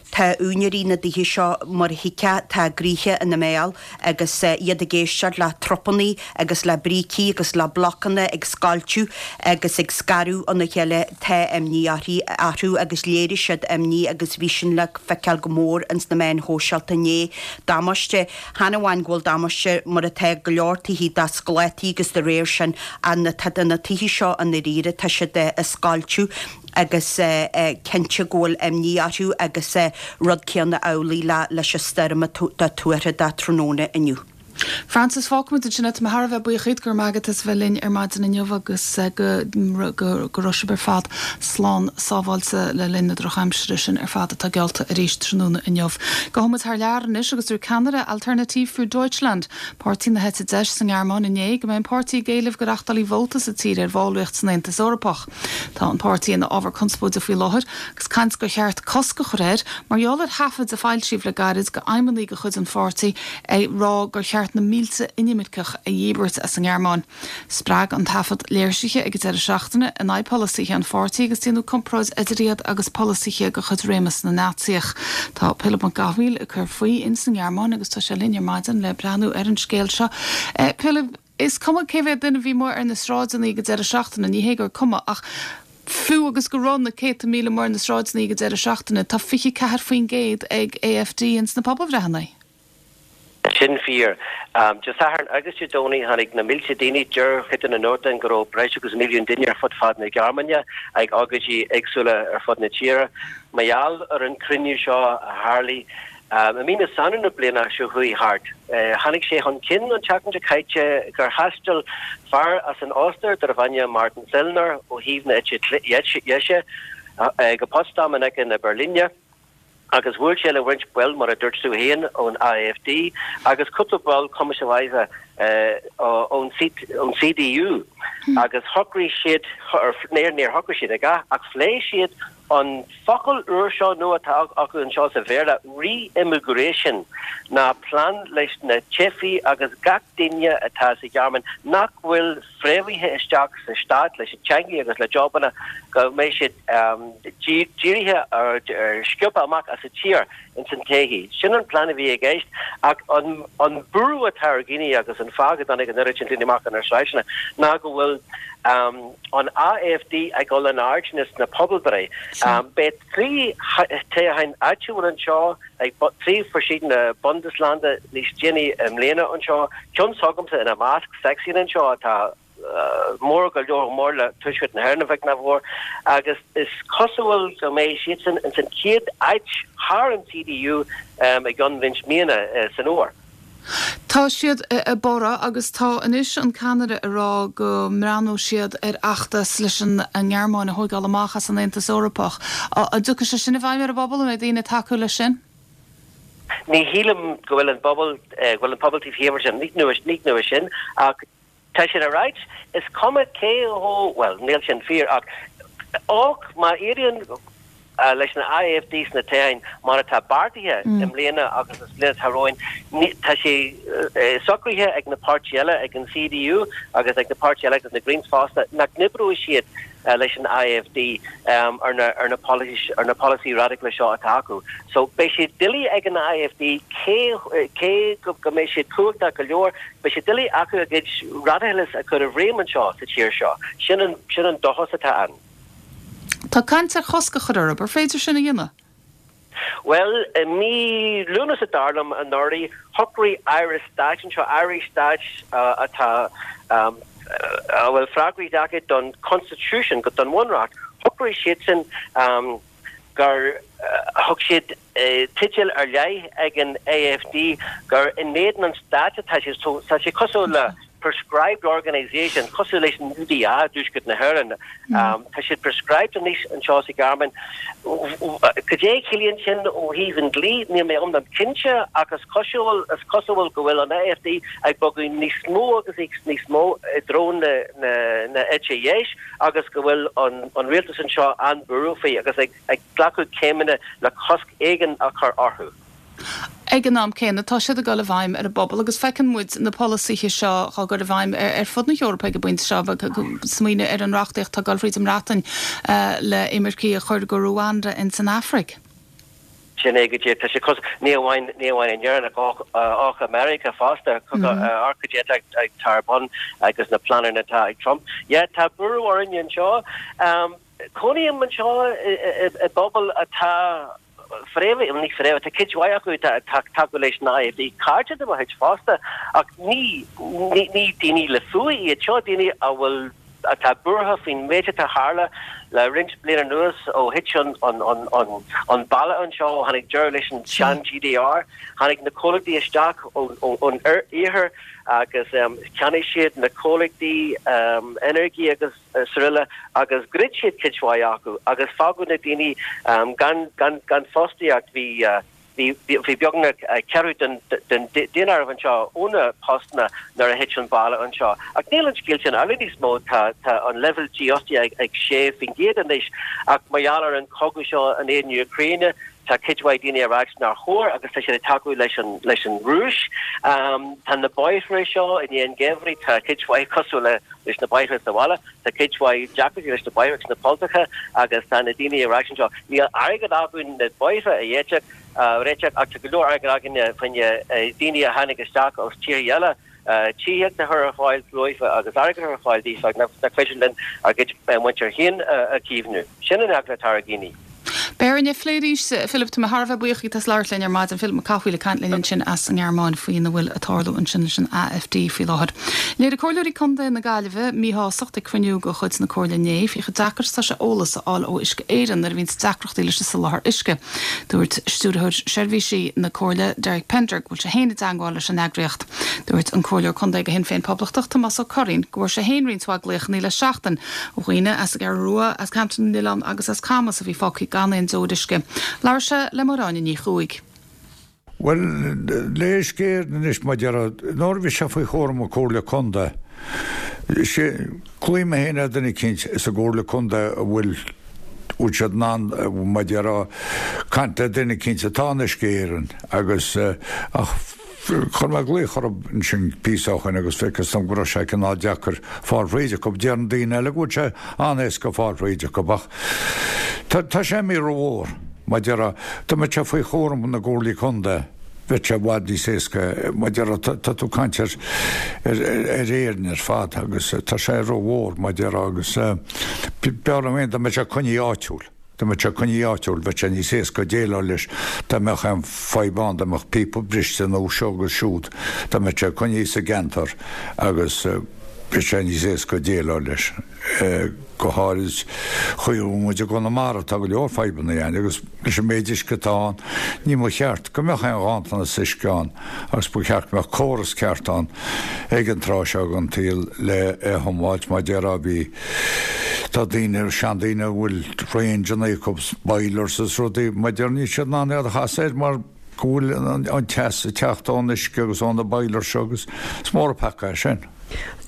Tá úinéirí na dtithe seo, mar a thuigfeá, tá a gcroíthe ina mbéal agus iad ag éisteacht le trupanna agus le brící agus le blocanna ag scoilteadh agus ag scaradh óna chéile. Tá imní orthu agus léirigh siad imní agus bhí sin le feiceáil go mór ins na meáin shóisialta inné. Damáiste. Chan amháin go bhfuil damáiste mar atá go leor tithe do sclátaí agus de réir sin na na tithe seo i ndáiríre tá siad ag scoilteadh agus cinnte go bhfuil imní orthu agus rud céanna amhlaidh le leis an stoirm atá tuartha do tráthnóna inniu. Frances, fágfaimid ansin é. Tá mé thar a bheith buíoch díot, go raibh maith agat as a bheith linn ar maidin inniu agus go go raibh sibh ar fad slán sábháilte le linn na drochaimsire sin ar fad atá geallta arís tráthnóna inniu. Gabhfaidh muid thar lear anois agus dúirt ceannaire Alternative für Deutschland, páirtí na heite deis sa nGearmáin inné go mbeidh an páirtí ag éileamh go reachtáilfí vóta sa tír ar bhallraíocht san Aontas Eorpach. Tá an páirtí ina ábhar conspóide faoi láthair agus caint gur cheart cosc a chur air mar gheall ar thaifid a foilsíodh le gairid de fheidhmeannaigh de chuid an pháirtí ag rá gur cheart na mílte inimirceach a dhíbirt as an nGearmáin. Spreag an taifead léirsithe ag an deireadh seachtaine in aghaidh polasaithe an pháirtí agus déanadh comparáid idir iad agus polasaithe de chuid réimeas na Naitsíoch. Tá Pilib Mac Cathmhaoil ag cur faoi ins an nGearmáin agus tá sé linn ar maidin le breathnú ar an scéal seo. Pilib, is cuma cé mhéad duine a bhí amuigh ar na sráideanna ag an deireadh seachtaine, ní hé gur cuma, ach fiú agus go raibh na céadta míle amuigh ar na sráideanna ag an deireadh seachtaine, tá 24% ag AFD ins na pobalbhreitheanna. Sin fíor. Dé Sathairn agus Dé Domhnaigh tháinig na mílte daoine, deir cuid de na nuachtáin go raibh breis agus milliún duine ar fud fad na Gearmáine ag ócáidí éagsúla ar fud na tíre mar gheall ar an cruinniú seo a tharlaigh i mí na Samhna na bliana seo chuaigh thart. Tháinig sé chun cinn an tseachtain seo caite gur thaistil fear as an Ostair darbh ainm Martin Sellner ó thaobh na eite dheise go Potsdam in aice na Beirlíne. agus bhuail sé le roinnt baill, mar a dúirt tú féin, ón AfD agus cúpla ball komischerweise ón CDU agus shocraigh siad, níor shocraigh siad a dhath, ach phléigh siad an focal úr seo nua atá acu anseo sa Bhéarla, re-immigration, ná plean leis na teifigh agus gach duine atá sa Ghearmáin nach bhfuil fréamhaithe isteach sa stát leis an teangaidh agus le jobanna go mbeidh siad dírithe ar sciobtha amach as an tír ins an todhchaí. Sin an plean a bhí i gceist ach an an buaireamh atá ar dhaoine agus an fáth go dtáinig an oiread sin daoine amach ar na sráideanna ná go bhfuil an AfD ag dul in airde sna pobalbhreith. Beidh 3 toghcháin áitiúil anseo ag 3 verschiedene Bundesländer níos déanaí i mbliana anseo, ceann s'agamsa ina measc, Sachsen anseo atá mór go leor mór le Tuaisceart na hÉireann a bheag ná a mhór, agus is cosúil go mbeidh siadsan ins an chéad áit thar an CDU i gceann roinnt míonna san fhómhar. Tá siad ag borradh agus tá anois an ceannaire ag rá go mbreathnóidh siad ar fheachtas leis an nGearmáin a thóigeáil amach as an Aontas Eorpach. An dtiocfaidh sé sin i bhfeidhm ar an bpobal? An mbeidh daoine ag tacú leis sin? Ní shílim go bhfuil an bpobal, go bhfuil an pobal taobh thiar de sin, ní nua sin ach Tá siad ag ráit, is cuma cé chomh, bhuel, níl sin fíor ach och má éiríonn leis an AfD sna toghcháin mar atá beartaithe i mbliana agus sa bhliain atá romhainn, tá sé socraithe ag na páirtithe eile, ag an CDU agus ag na páirtithe eile agus na Greens fosta, nach n-oibreoidh siad leis an AfD ar na ar na ar na polasaí radacla seo atá acu. So beidh sé doiligh ag an AfD cé cé go go mbeidh siad cumhachtach go leor, beidh sé doiligh acu a gcuid radacalachas a chur i bhfeidhm anseo sa tír seo. Sin an sin an dóchas atá ann. Tá caint ar chosc a chur orthu. Ar féidir sin a dhéanamh? Bhuel, i mí Lúnasa dar liom anuraidh, shocraigh Aire Stáit anseo, Airí Stáit atá, a bhfuil freagracht acu don Constitution, don Bhunreacht, shocraigh siadsan gur thug siad teideal ar leith ag an AfD gur in éadan an stáit atá siad. So tá sé cosúil le proscribed organisation, cosúil leis an UDA i dTuaisceart na hÉireann. Tá siad proscribed anois anseo sa Ghearmáin. Cad é a chiallaíonn sin ó thaobh an dlí, níl mé iomlán cinnte ach is cosúil, is cosúil go bhfuil an AfD ag bogadh níos mó agus níos mó i dtreo na eite dheis agus go bhfuil an rialtas anseo an-bhuartha faoi agus ag glacadh céimeanna le cosc éigin a chur orthu. Ag an am céanna, tá siad ag dul i bhfeidhm ar an bpobal agus feiceann muid na polasaithe seo á gcur i bhfeidhm ar fud na hEorpa ag an bpointe seo. Smaoineamh ar an reachtaíocht atá ag dul fríd an mBreatain le imircigh a chur go Ruanda ins an Afraic. Sin é go díreach. Tá sé cos, ní amháin, ní amháin in Éirinn ach ach i Meiriceá fosta. Amharc cad é atá ar bun agus na pleananna atá ag Trump. Yeah, tá buaireamh orainn anseo. Cónaím anseo i bpobal atá fréamhaithe, ní fréamhaithe, tá cuid mhaith acu atá ag tacú leis an AfD, cairde de mo chuid fosta, ach ní ní daoine le fuath iad, seo daoine a bhfuil, atá buartha faoin méid atá tharla le roinnt bliain anuas ó thit an an balla anseo, ó tháinig deireadh leis an sean GDR, tháinig na comhlachtaí isteach ón iarthar agus cheannaigh siad na comhlachtaí energy agus. srl. agus dhruid siad cuid mhaith acu agus fágadh na daoine gan gan gan fostaíocht. Bhí bhí bhí beagnach ceathrú den den daonáireamh anseo óna postanna nuair a thit an balla anseo. Ach níl an scéal sin amhlaidh níos mó, tá tá an leibhéal dífhostaíochta ag 6% anois ach mar gheall ar an chogadh seo in éadan na Úcráine tá cuid mhaith daoine ag ráit nár chóir agus tá siad ag tacú leis an leis an Rúis. Tá na bóithre seo i ndiaidh an gheimhridh, tá cuid mhaith cosúil le leis na bóithre sa bhaile. Tá cuid mhaith deacrachtaí leis na bóithre agus na polltacha agus tá na daoine ag ráit anseo, níl airgead againn na bóithre a réiteach, réiteach ach tá go leor airgead againne fá choinne daoine a tháinig isteach as tíortha eile tithíocht a chur ar fáil dóibh agus airgead a chur ar fáil daofa ach nach féidir linn ár gcuid muintir féin a chaomhnú. Sin an eagla atá ar dhaoine. Beidh orainn é a phlé arís. Philip, tá mé thar a bheith buíoch díot as labhairt linn ar maidin. Philip Mac Cathmhaoil ag caint linn ansin as an nGearmáin faoina bhfuil ag tarlú ansin leis an AfD faoi láthair. Léirigh Comhairleoirí Contae na Gaillimhe míshástacht ag cruinniú de chuid na Comhairle inné faoi chomh deacair is atá sé eolas a fháil ó Uisce Éireann nuair a bhíonns deacrachtaí leis an soláthar uisce. Dúirt Stiúrthóir Seirbhísí na Comhairle, Derek Pender, go bhfuil sé féin i dteangmháil leis an eagraíocht. Dúirt an Comhairleoir Contae do Shinn Féin Poblachtach, Tomás Ó Curraoin, go bhfuair sé féin roinnt mhaith glaochanna le seachtain ó dhaoine as an gCeathrú Rua, as Ceantar na nOileán agus as Camas a bhí fágtha gan aon deoir uisce. Labhair sé le Máire Áine Ní Chuaig. Bhuel, le Uisce Éireann anois, mar a déarfá, nuair a bhí sé faoi chúram na Comhairle Contae, glaofaidh mé féin ar duine eicínt sa gComhairle Contae a bhfuil, bhfuil siad in ann, mar a déarfá, caint le duine eicínt atá in Uisce Éireann agus, ach, Chuir mé glaoch orthu ansin píosa ó shoin agus feictear dom go raibh sé cineál deacair fáil thríd acu. Deireann daoine eile go bhfuil sé an-éasca fáil thríd acu ach tá sé imithe rómhór. Mar a déarfá, dá mbeadh sé faoi chúram na gcomhairlí contae bheadh sé i bhfad níos éasca. Mar a déarfá, tá tú ag caint ar Éirinn ar fad agus tá sé rómhór mar a déarfá agus b'fhearr liom féin dá mbeadh sé coinnithe áitiúil. Dá mbeadh sé coinnithe áitiúil, bheadh sé níos éasca déileáil leis dá mbeadh aon fadhb ann, dá mbeadh píopa briste nó seo agus siúd, dá mbeadh sé coinnithe sa gceantar agus. Beidh sé níos éasca déileáil leis, go háirid chaoi a bhfuil muid i gConamara, tá go leor fadhbanna ann agus leis an méid uisce atá ann, ní mba cheart go mbeadh aon ghanntanas uisce ann agus ba cheart go mbeadh córas ceart ann ag an tráth seo den tsaol le é a thiomáilt. Mar déarfá bhí, tá daoine, seandaoine a bhfuil rangeanna acu, boilers is rudaí, mar déarfá níl siad in ann iad a chasadh air mar go bhfuil an teas ag teacht ón uisce agus ó na boilers seo agus is mór an peaca é sin.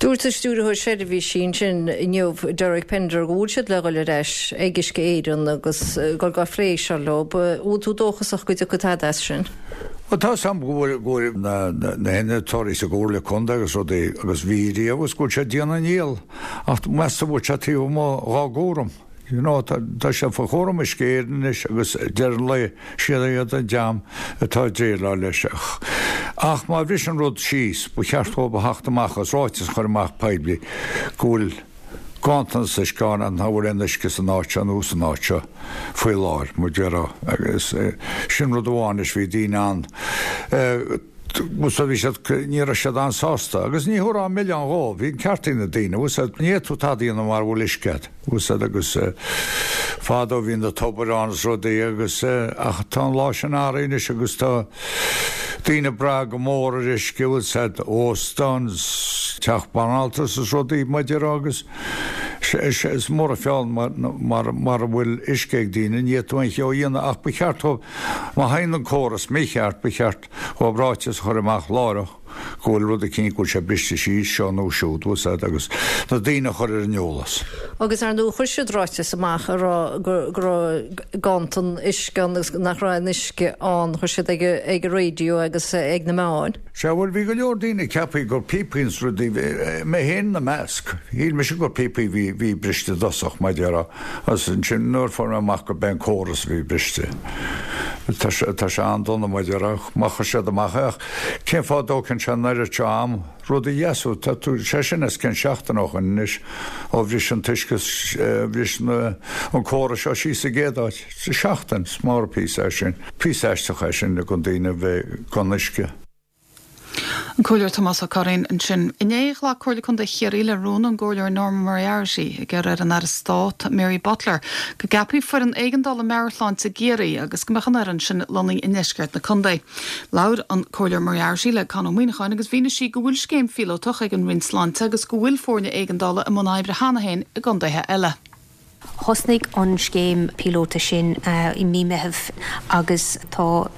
Dúirt an Stiúrthóir Seirbhísí ansin inniu, Derek Pender, go bhfuil siad le dhul ar ais ag Uisce Éireann agus dhul á phlé seo leo. An bhfuil tú dóchasach go dtiocfaidh tada as sin? Bhuel, tá 'fhios a'm go bhfuil go bhfuil na na hinnealtóirí sa gComhairle Contae agus rudaí agus bhí riamh agus go bhfuil siad ag déanamh a ndícheall ach meas tú an bhfuil sé taobh amuigh dhá gcúram. You know, tá sé faoi chúram Uisce Éireann anois agus deireadh an lae, siad iad an dream atá ag déileáil leis. Ach má bhriseann rud síos, ba cheart dhóibh a theacht amach agus ráiteas a chur amach poiblí go bhfuil ganntanas uisce ann agus nach bhfuil aon uisce san áit seo nó san áit seo faoi láthair, mar déarfá. Agus sin rud amháin anois, bhí daoine ann, bhí siad, ní raibh siad an-sásta agus ní thabharfá an milleán dhóibh, bhí an ceart ag na daoine, bhfuil 'fhios a'd, ní fhéadfadh tú tada a dhéanamh mara bhfuil uisce a'd, bhfuil 'fhios a'd agus fadó bhí na tobair ann is rudaí agus ach tá an lá sin athraithe anois agus tá daoine ag brath go mór ar uisce, bhfuil 'fhios a'd, óstán, teach banaltrais is rudaí mar déarfá agus is mór an feall mara bhfuil uisce ag daoine, ní fhéadfadh tú aon cheo a dhéanamh ach ba cheart dhóibh, má théann an córas mícheart, ba cheart dhóibh ráiteas a chur amach láithreach go bhfuil rud eicínt, go bhfuil sé briste síos, seo nó siúd, bhfuil 'fhios a'd, agus na daoine a chur ar an eolas. Agus ar ndóigh chuir siad ráiteas amach ag rá go raibh ganntan uisce ann agus nach raibh aon uisce ann, chuir siad ag ag an raidió agus ag na meáin. Sea, bhuel, bhí go leor daoine ag ceapadh gur píopaí is rudaí, mé féin ina measc, shíl mise gur píopaí a bhí, bhí briste i dtosach, mar déarfá, agus ansin nuair a fuair mé amach gurb é an córas a bhí briste. Tá sé, tá sé an-dona, mar déarfá, má chuir siad amach é, ach cén fáth a dtógann sé an oiread seo am rud a dheasú, tá tú, sé sin os cionn seachtain ó shoin anois ó bhris an t-uisce, bhris na, an córas seo síos sa gcéad áit. Seachtain, is mór an píosa é sin. Píosa aisteach é sin ag an daoine a bheith gan uisce. An Comhairleoir Tomás Ó Curraoin ansin. Inné, ghlac Comhairle Contae Chiarraí le rún ón gComhairleoir Norma Moriarty ag iarraidh ar an Aire Stáit, Mary Butler, go gceapfaí foireann éigeandála meabhairshláinte i gCiarraí agus go mbeadh an fhoireann sin lonnaithe i ndeisceart na contae. Labhair an Comhairleoir Moriarty le Con Ó Muíneacháin agus mhínigh sí go bhfuil scéim phíolótach ag an Roinn Sláinte agus go bhfuil foirne éigeandála i mbun oibre cheana féin i gcontaetha eile. Thosnaigh an scéim píolóta sin i mí Meitheamh agus tá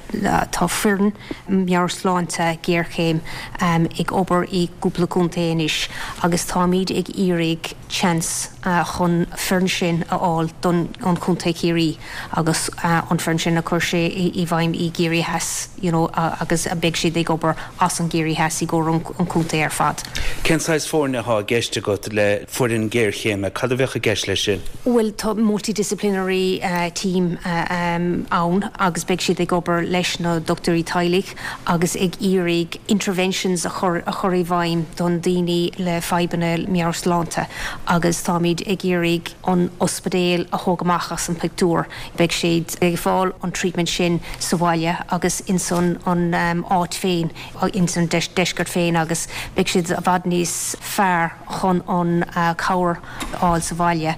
tá foireann meabhairshláinte géarchéim ag obair i gcúpla contae anois agus táimid ag iarraidh chance chun foireann sin a fháil don an chontae Ciarraí agus an foireann sin a chur sé i bhfeidhm i gCiarraí Theas you know agus beidh siad ag obair as an gCiarraí Theas i gcomhair an chontae ar fad. Cén saghas foirne atá i gceist agat le foireann géarchéime? Cad a bheadh i gceist leis sin? Bhuel, tá multidisciplinary team ann agus beidh siad ag obair leis na dochtúirí teaghlaigh agus ag iarraidh interventions a chur a chur i bhfeidhm don daoine le fadhbanna meabhairshláinte agus táimid ag iarraidh an ospidéal a thóg amach as an pictiúr. Beidh siad ag fáil an treatment sin sa bhaile agus ins an áit féin, ins an deisceart féin agus beidh siad i bhfad níos fearr chun an cabhair a fháil sa bhaile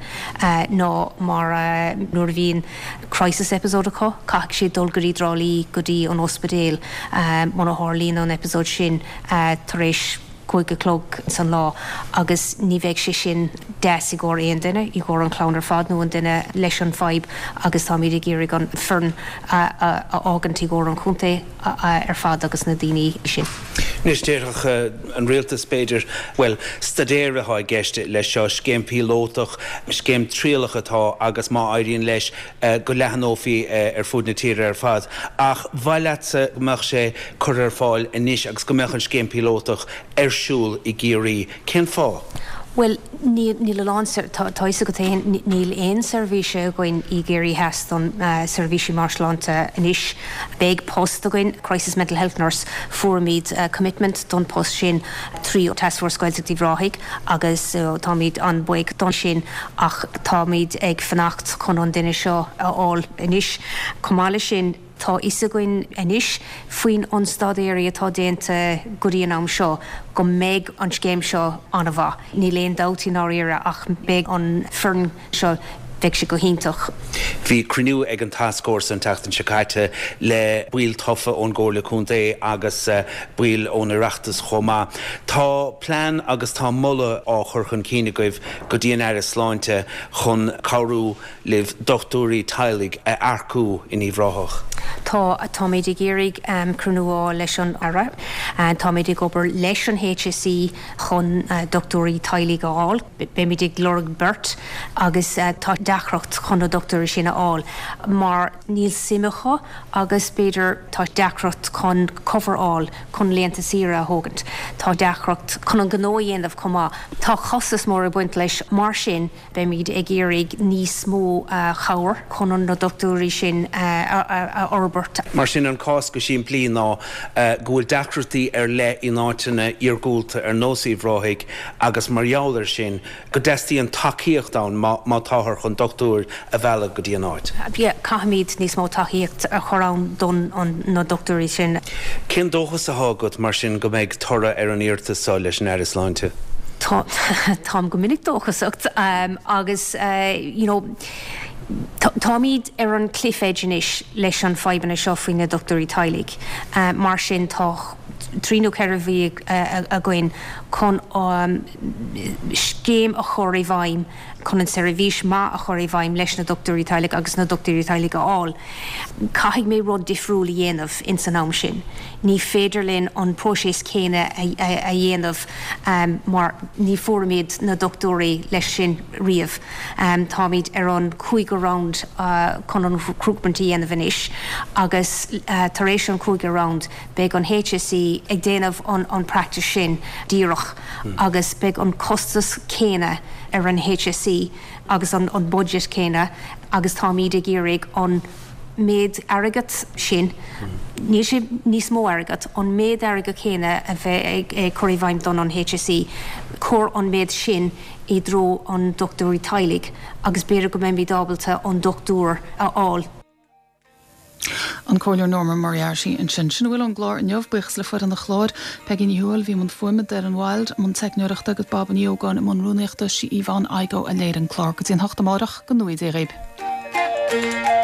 ná mar nuair a bhíonn crisis episode acu, caithfidh siad dul go dtí Trá Lí go dtí an ospidéal muna tharlaíonn an episode sin tar éis 5 a chlog san lá agus ní bheidh sé sin deas i gcomhair aon duine, i gcomhair an chlann ar fad nó an duine leis an fadhb agus táimid ag iarraidh an foireann a fhágaint i gcomhair an chontae ar fad agus na daoine sin. Anois, déarfadh an rialtas, b'fhéidir, bhuel, staidéar atá i gceist leis seo, scéim phíolótach, scéim trialach atá agus má éiríonn leis, go leathnófaí ar fud na tíre ar fad. Ach ba mhaith leatsa go mbeadh sé curtha ar fáil anois agus go mbeadh an scéim phíolótach ar siúl i gCiarraí. Cén fáth? Bhuel, níl, níl a lán, tá a fhios agat féin, níl aon seirbhíse againn i gCiarraí Theas don seirbhísí meabhairshláinte anois. Beidh post againn, Crisis Mental Health Nurse, fuairimid commitment don post sin trí Taskforce Gaeltacht Uíbh Ráthaigh agus táimid an-bhuíoch don sin. Ach táimid ag fanacht chun an duine seo a fháil anois. Chomh maith leis sin. Tá fhios againn anois faoin an staidéirí atá déanta go dtí an am seo go mbeidh an scéim seo an-mhaith. Níl aon dabht i ndáiríre ach beidh an foireann seo, beidh sé go hiontach. Bhí cruinniú ag an tascfhórsa an tseachtain seo caite le baill tofa ón gComhairle Contae agus baill ón Oireachtas chomh maith. Tá plean agus tá moladh á chur chun cinn agaibh go dtí an Aire Sláinte chun cabhrú libh dochtúirí teaghlaigh a earcú in Uíbh Ráthach. Tá. Táimid ag iarraidh cruinniú a fháil leis an Aire. Táimid ag obair leis an HSE chun dochtúirí teaghlaigh a fháil. Beimid ag lorg beirt agus tá deacracht chun na dochtúirí sin a fháil mar níl suim acu agus b'fhéidir tá deacracht chun cover a fháil chun laethanta saoire a thógaint. Tá deacracht chun an gnó a dhéanamh chomh maith. Tá costas mór ag baint leis mar sin Beimid ag iarraidh níos mó chabhair chun na dochtúirí sin a fhorbairt. Mar sin, an cás go simplí ná go bhfuil deacrachtaí ar leith in áiteanna iargúlta ar nós Uíbh Ráthaigh agus mar gheall air sin go dteastaíonn tacaíocht ann má táthar chun dochtúir a mhealladh go dtí an áit. Yeah, caithfimid níos mó tacaíocht a chur ann don na dochtúirí sin. Cén dóchas atá agat mar sin go mbeidh toradh ar an iarratas seo leis an Aire Sláinte? Tá, táim go minic dóchasach agus you know táimid ar an cliff edge anois leis an fadhbanna seo faoi na dochtúirí teaghlaigh. Mar sin tá trí nó ceithre mhí againn chun scéim a chur i bhfeidhm chun an seirbhís maith a chur i bhfeidhm leis na dochtúirí teaghlaigh agus na dochtúirí teaghlaigh a fháil. Caithfidh mé rud difriúil a dhéanamh ins an am sin. Ní féidir linn an próiseas céanna a dhéanamh mar ní fuairimid na dochtúirí leis sin riamh. Táimid ar an cúigiú round chun an recruitment a dhéanamh anois agus tar éis an cúigiú round beidh an HSE ag déanamh an practice sin díreach agus beidh an costas céanna ar an HSE agus an budget céanna agus táimid ag iarraidh an méid airgead sin, níl sé níos mó airgead, an méid airgead céanna a bheith ag cur i bhfeidhm don an HSE, cur an méid sin i dtreo an dochtúirí teaghlaigh agus b'fhéidir go mbeimid ábalta an dochtúir a fháil. An Comhairleoir Norma Moriarty ansin. Sin a bhfuil ón gclár inniu. Buíochas le foireann an chláir, Peigí Ní Thuathail a bhí i mbun fuaime, Doireann Wilde i mbun teicneoireachta agus Baba Ní Ógáin i mbun rúnaíochta. Sí Yvonne Igoe a léirigh an clár. Go dtí an hocht amárach, go ngnóthaí Dia dhaoib.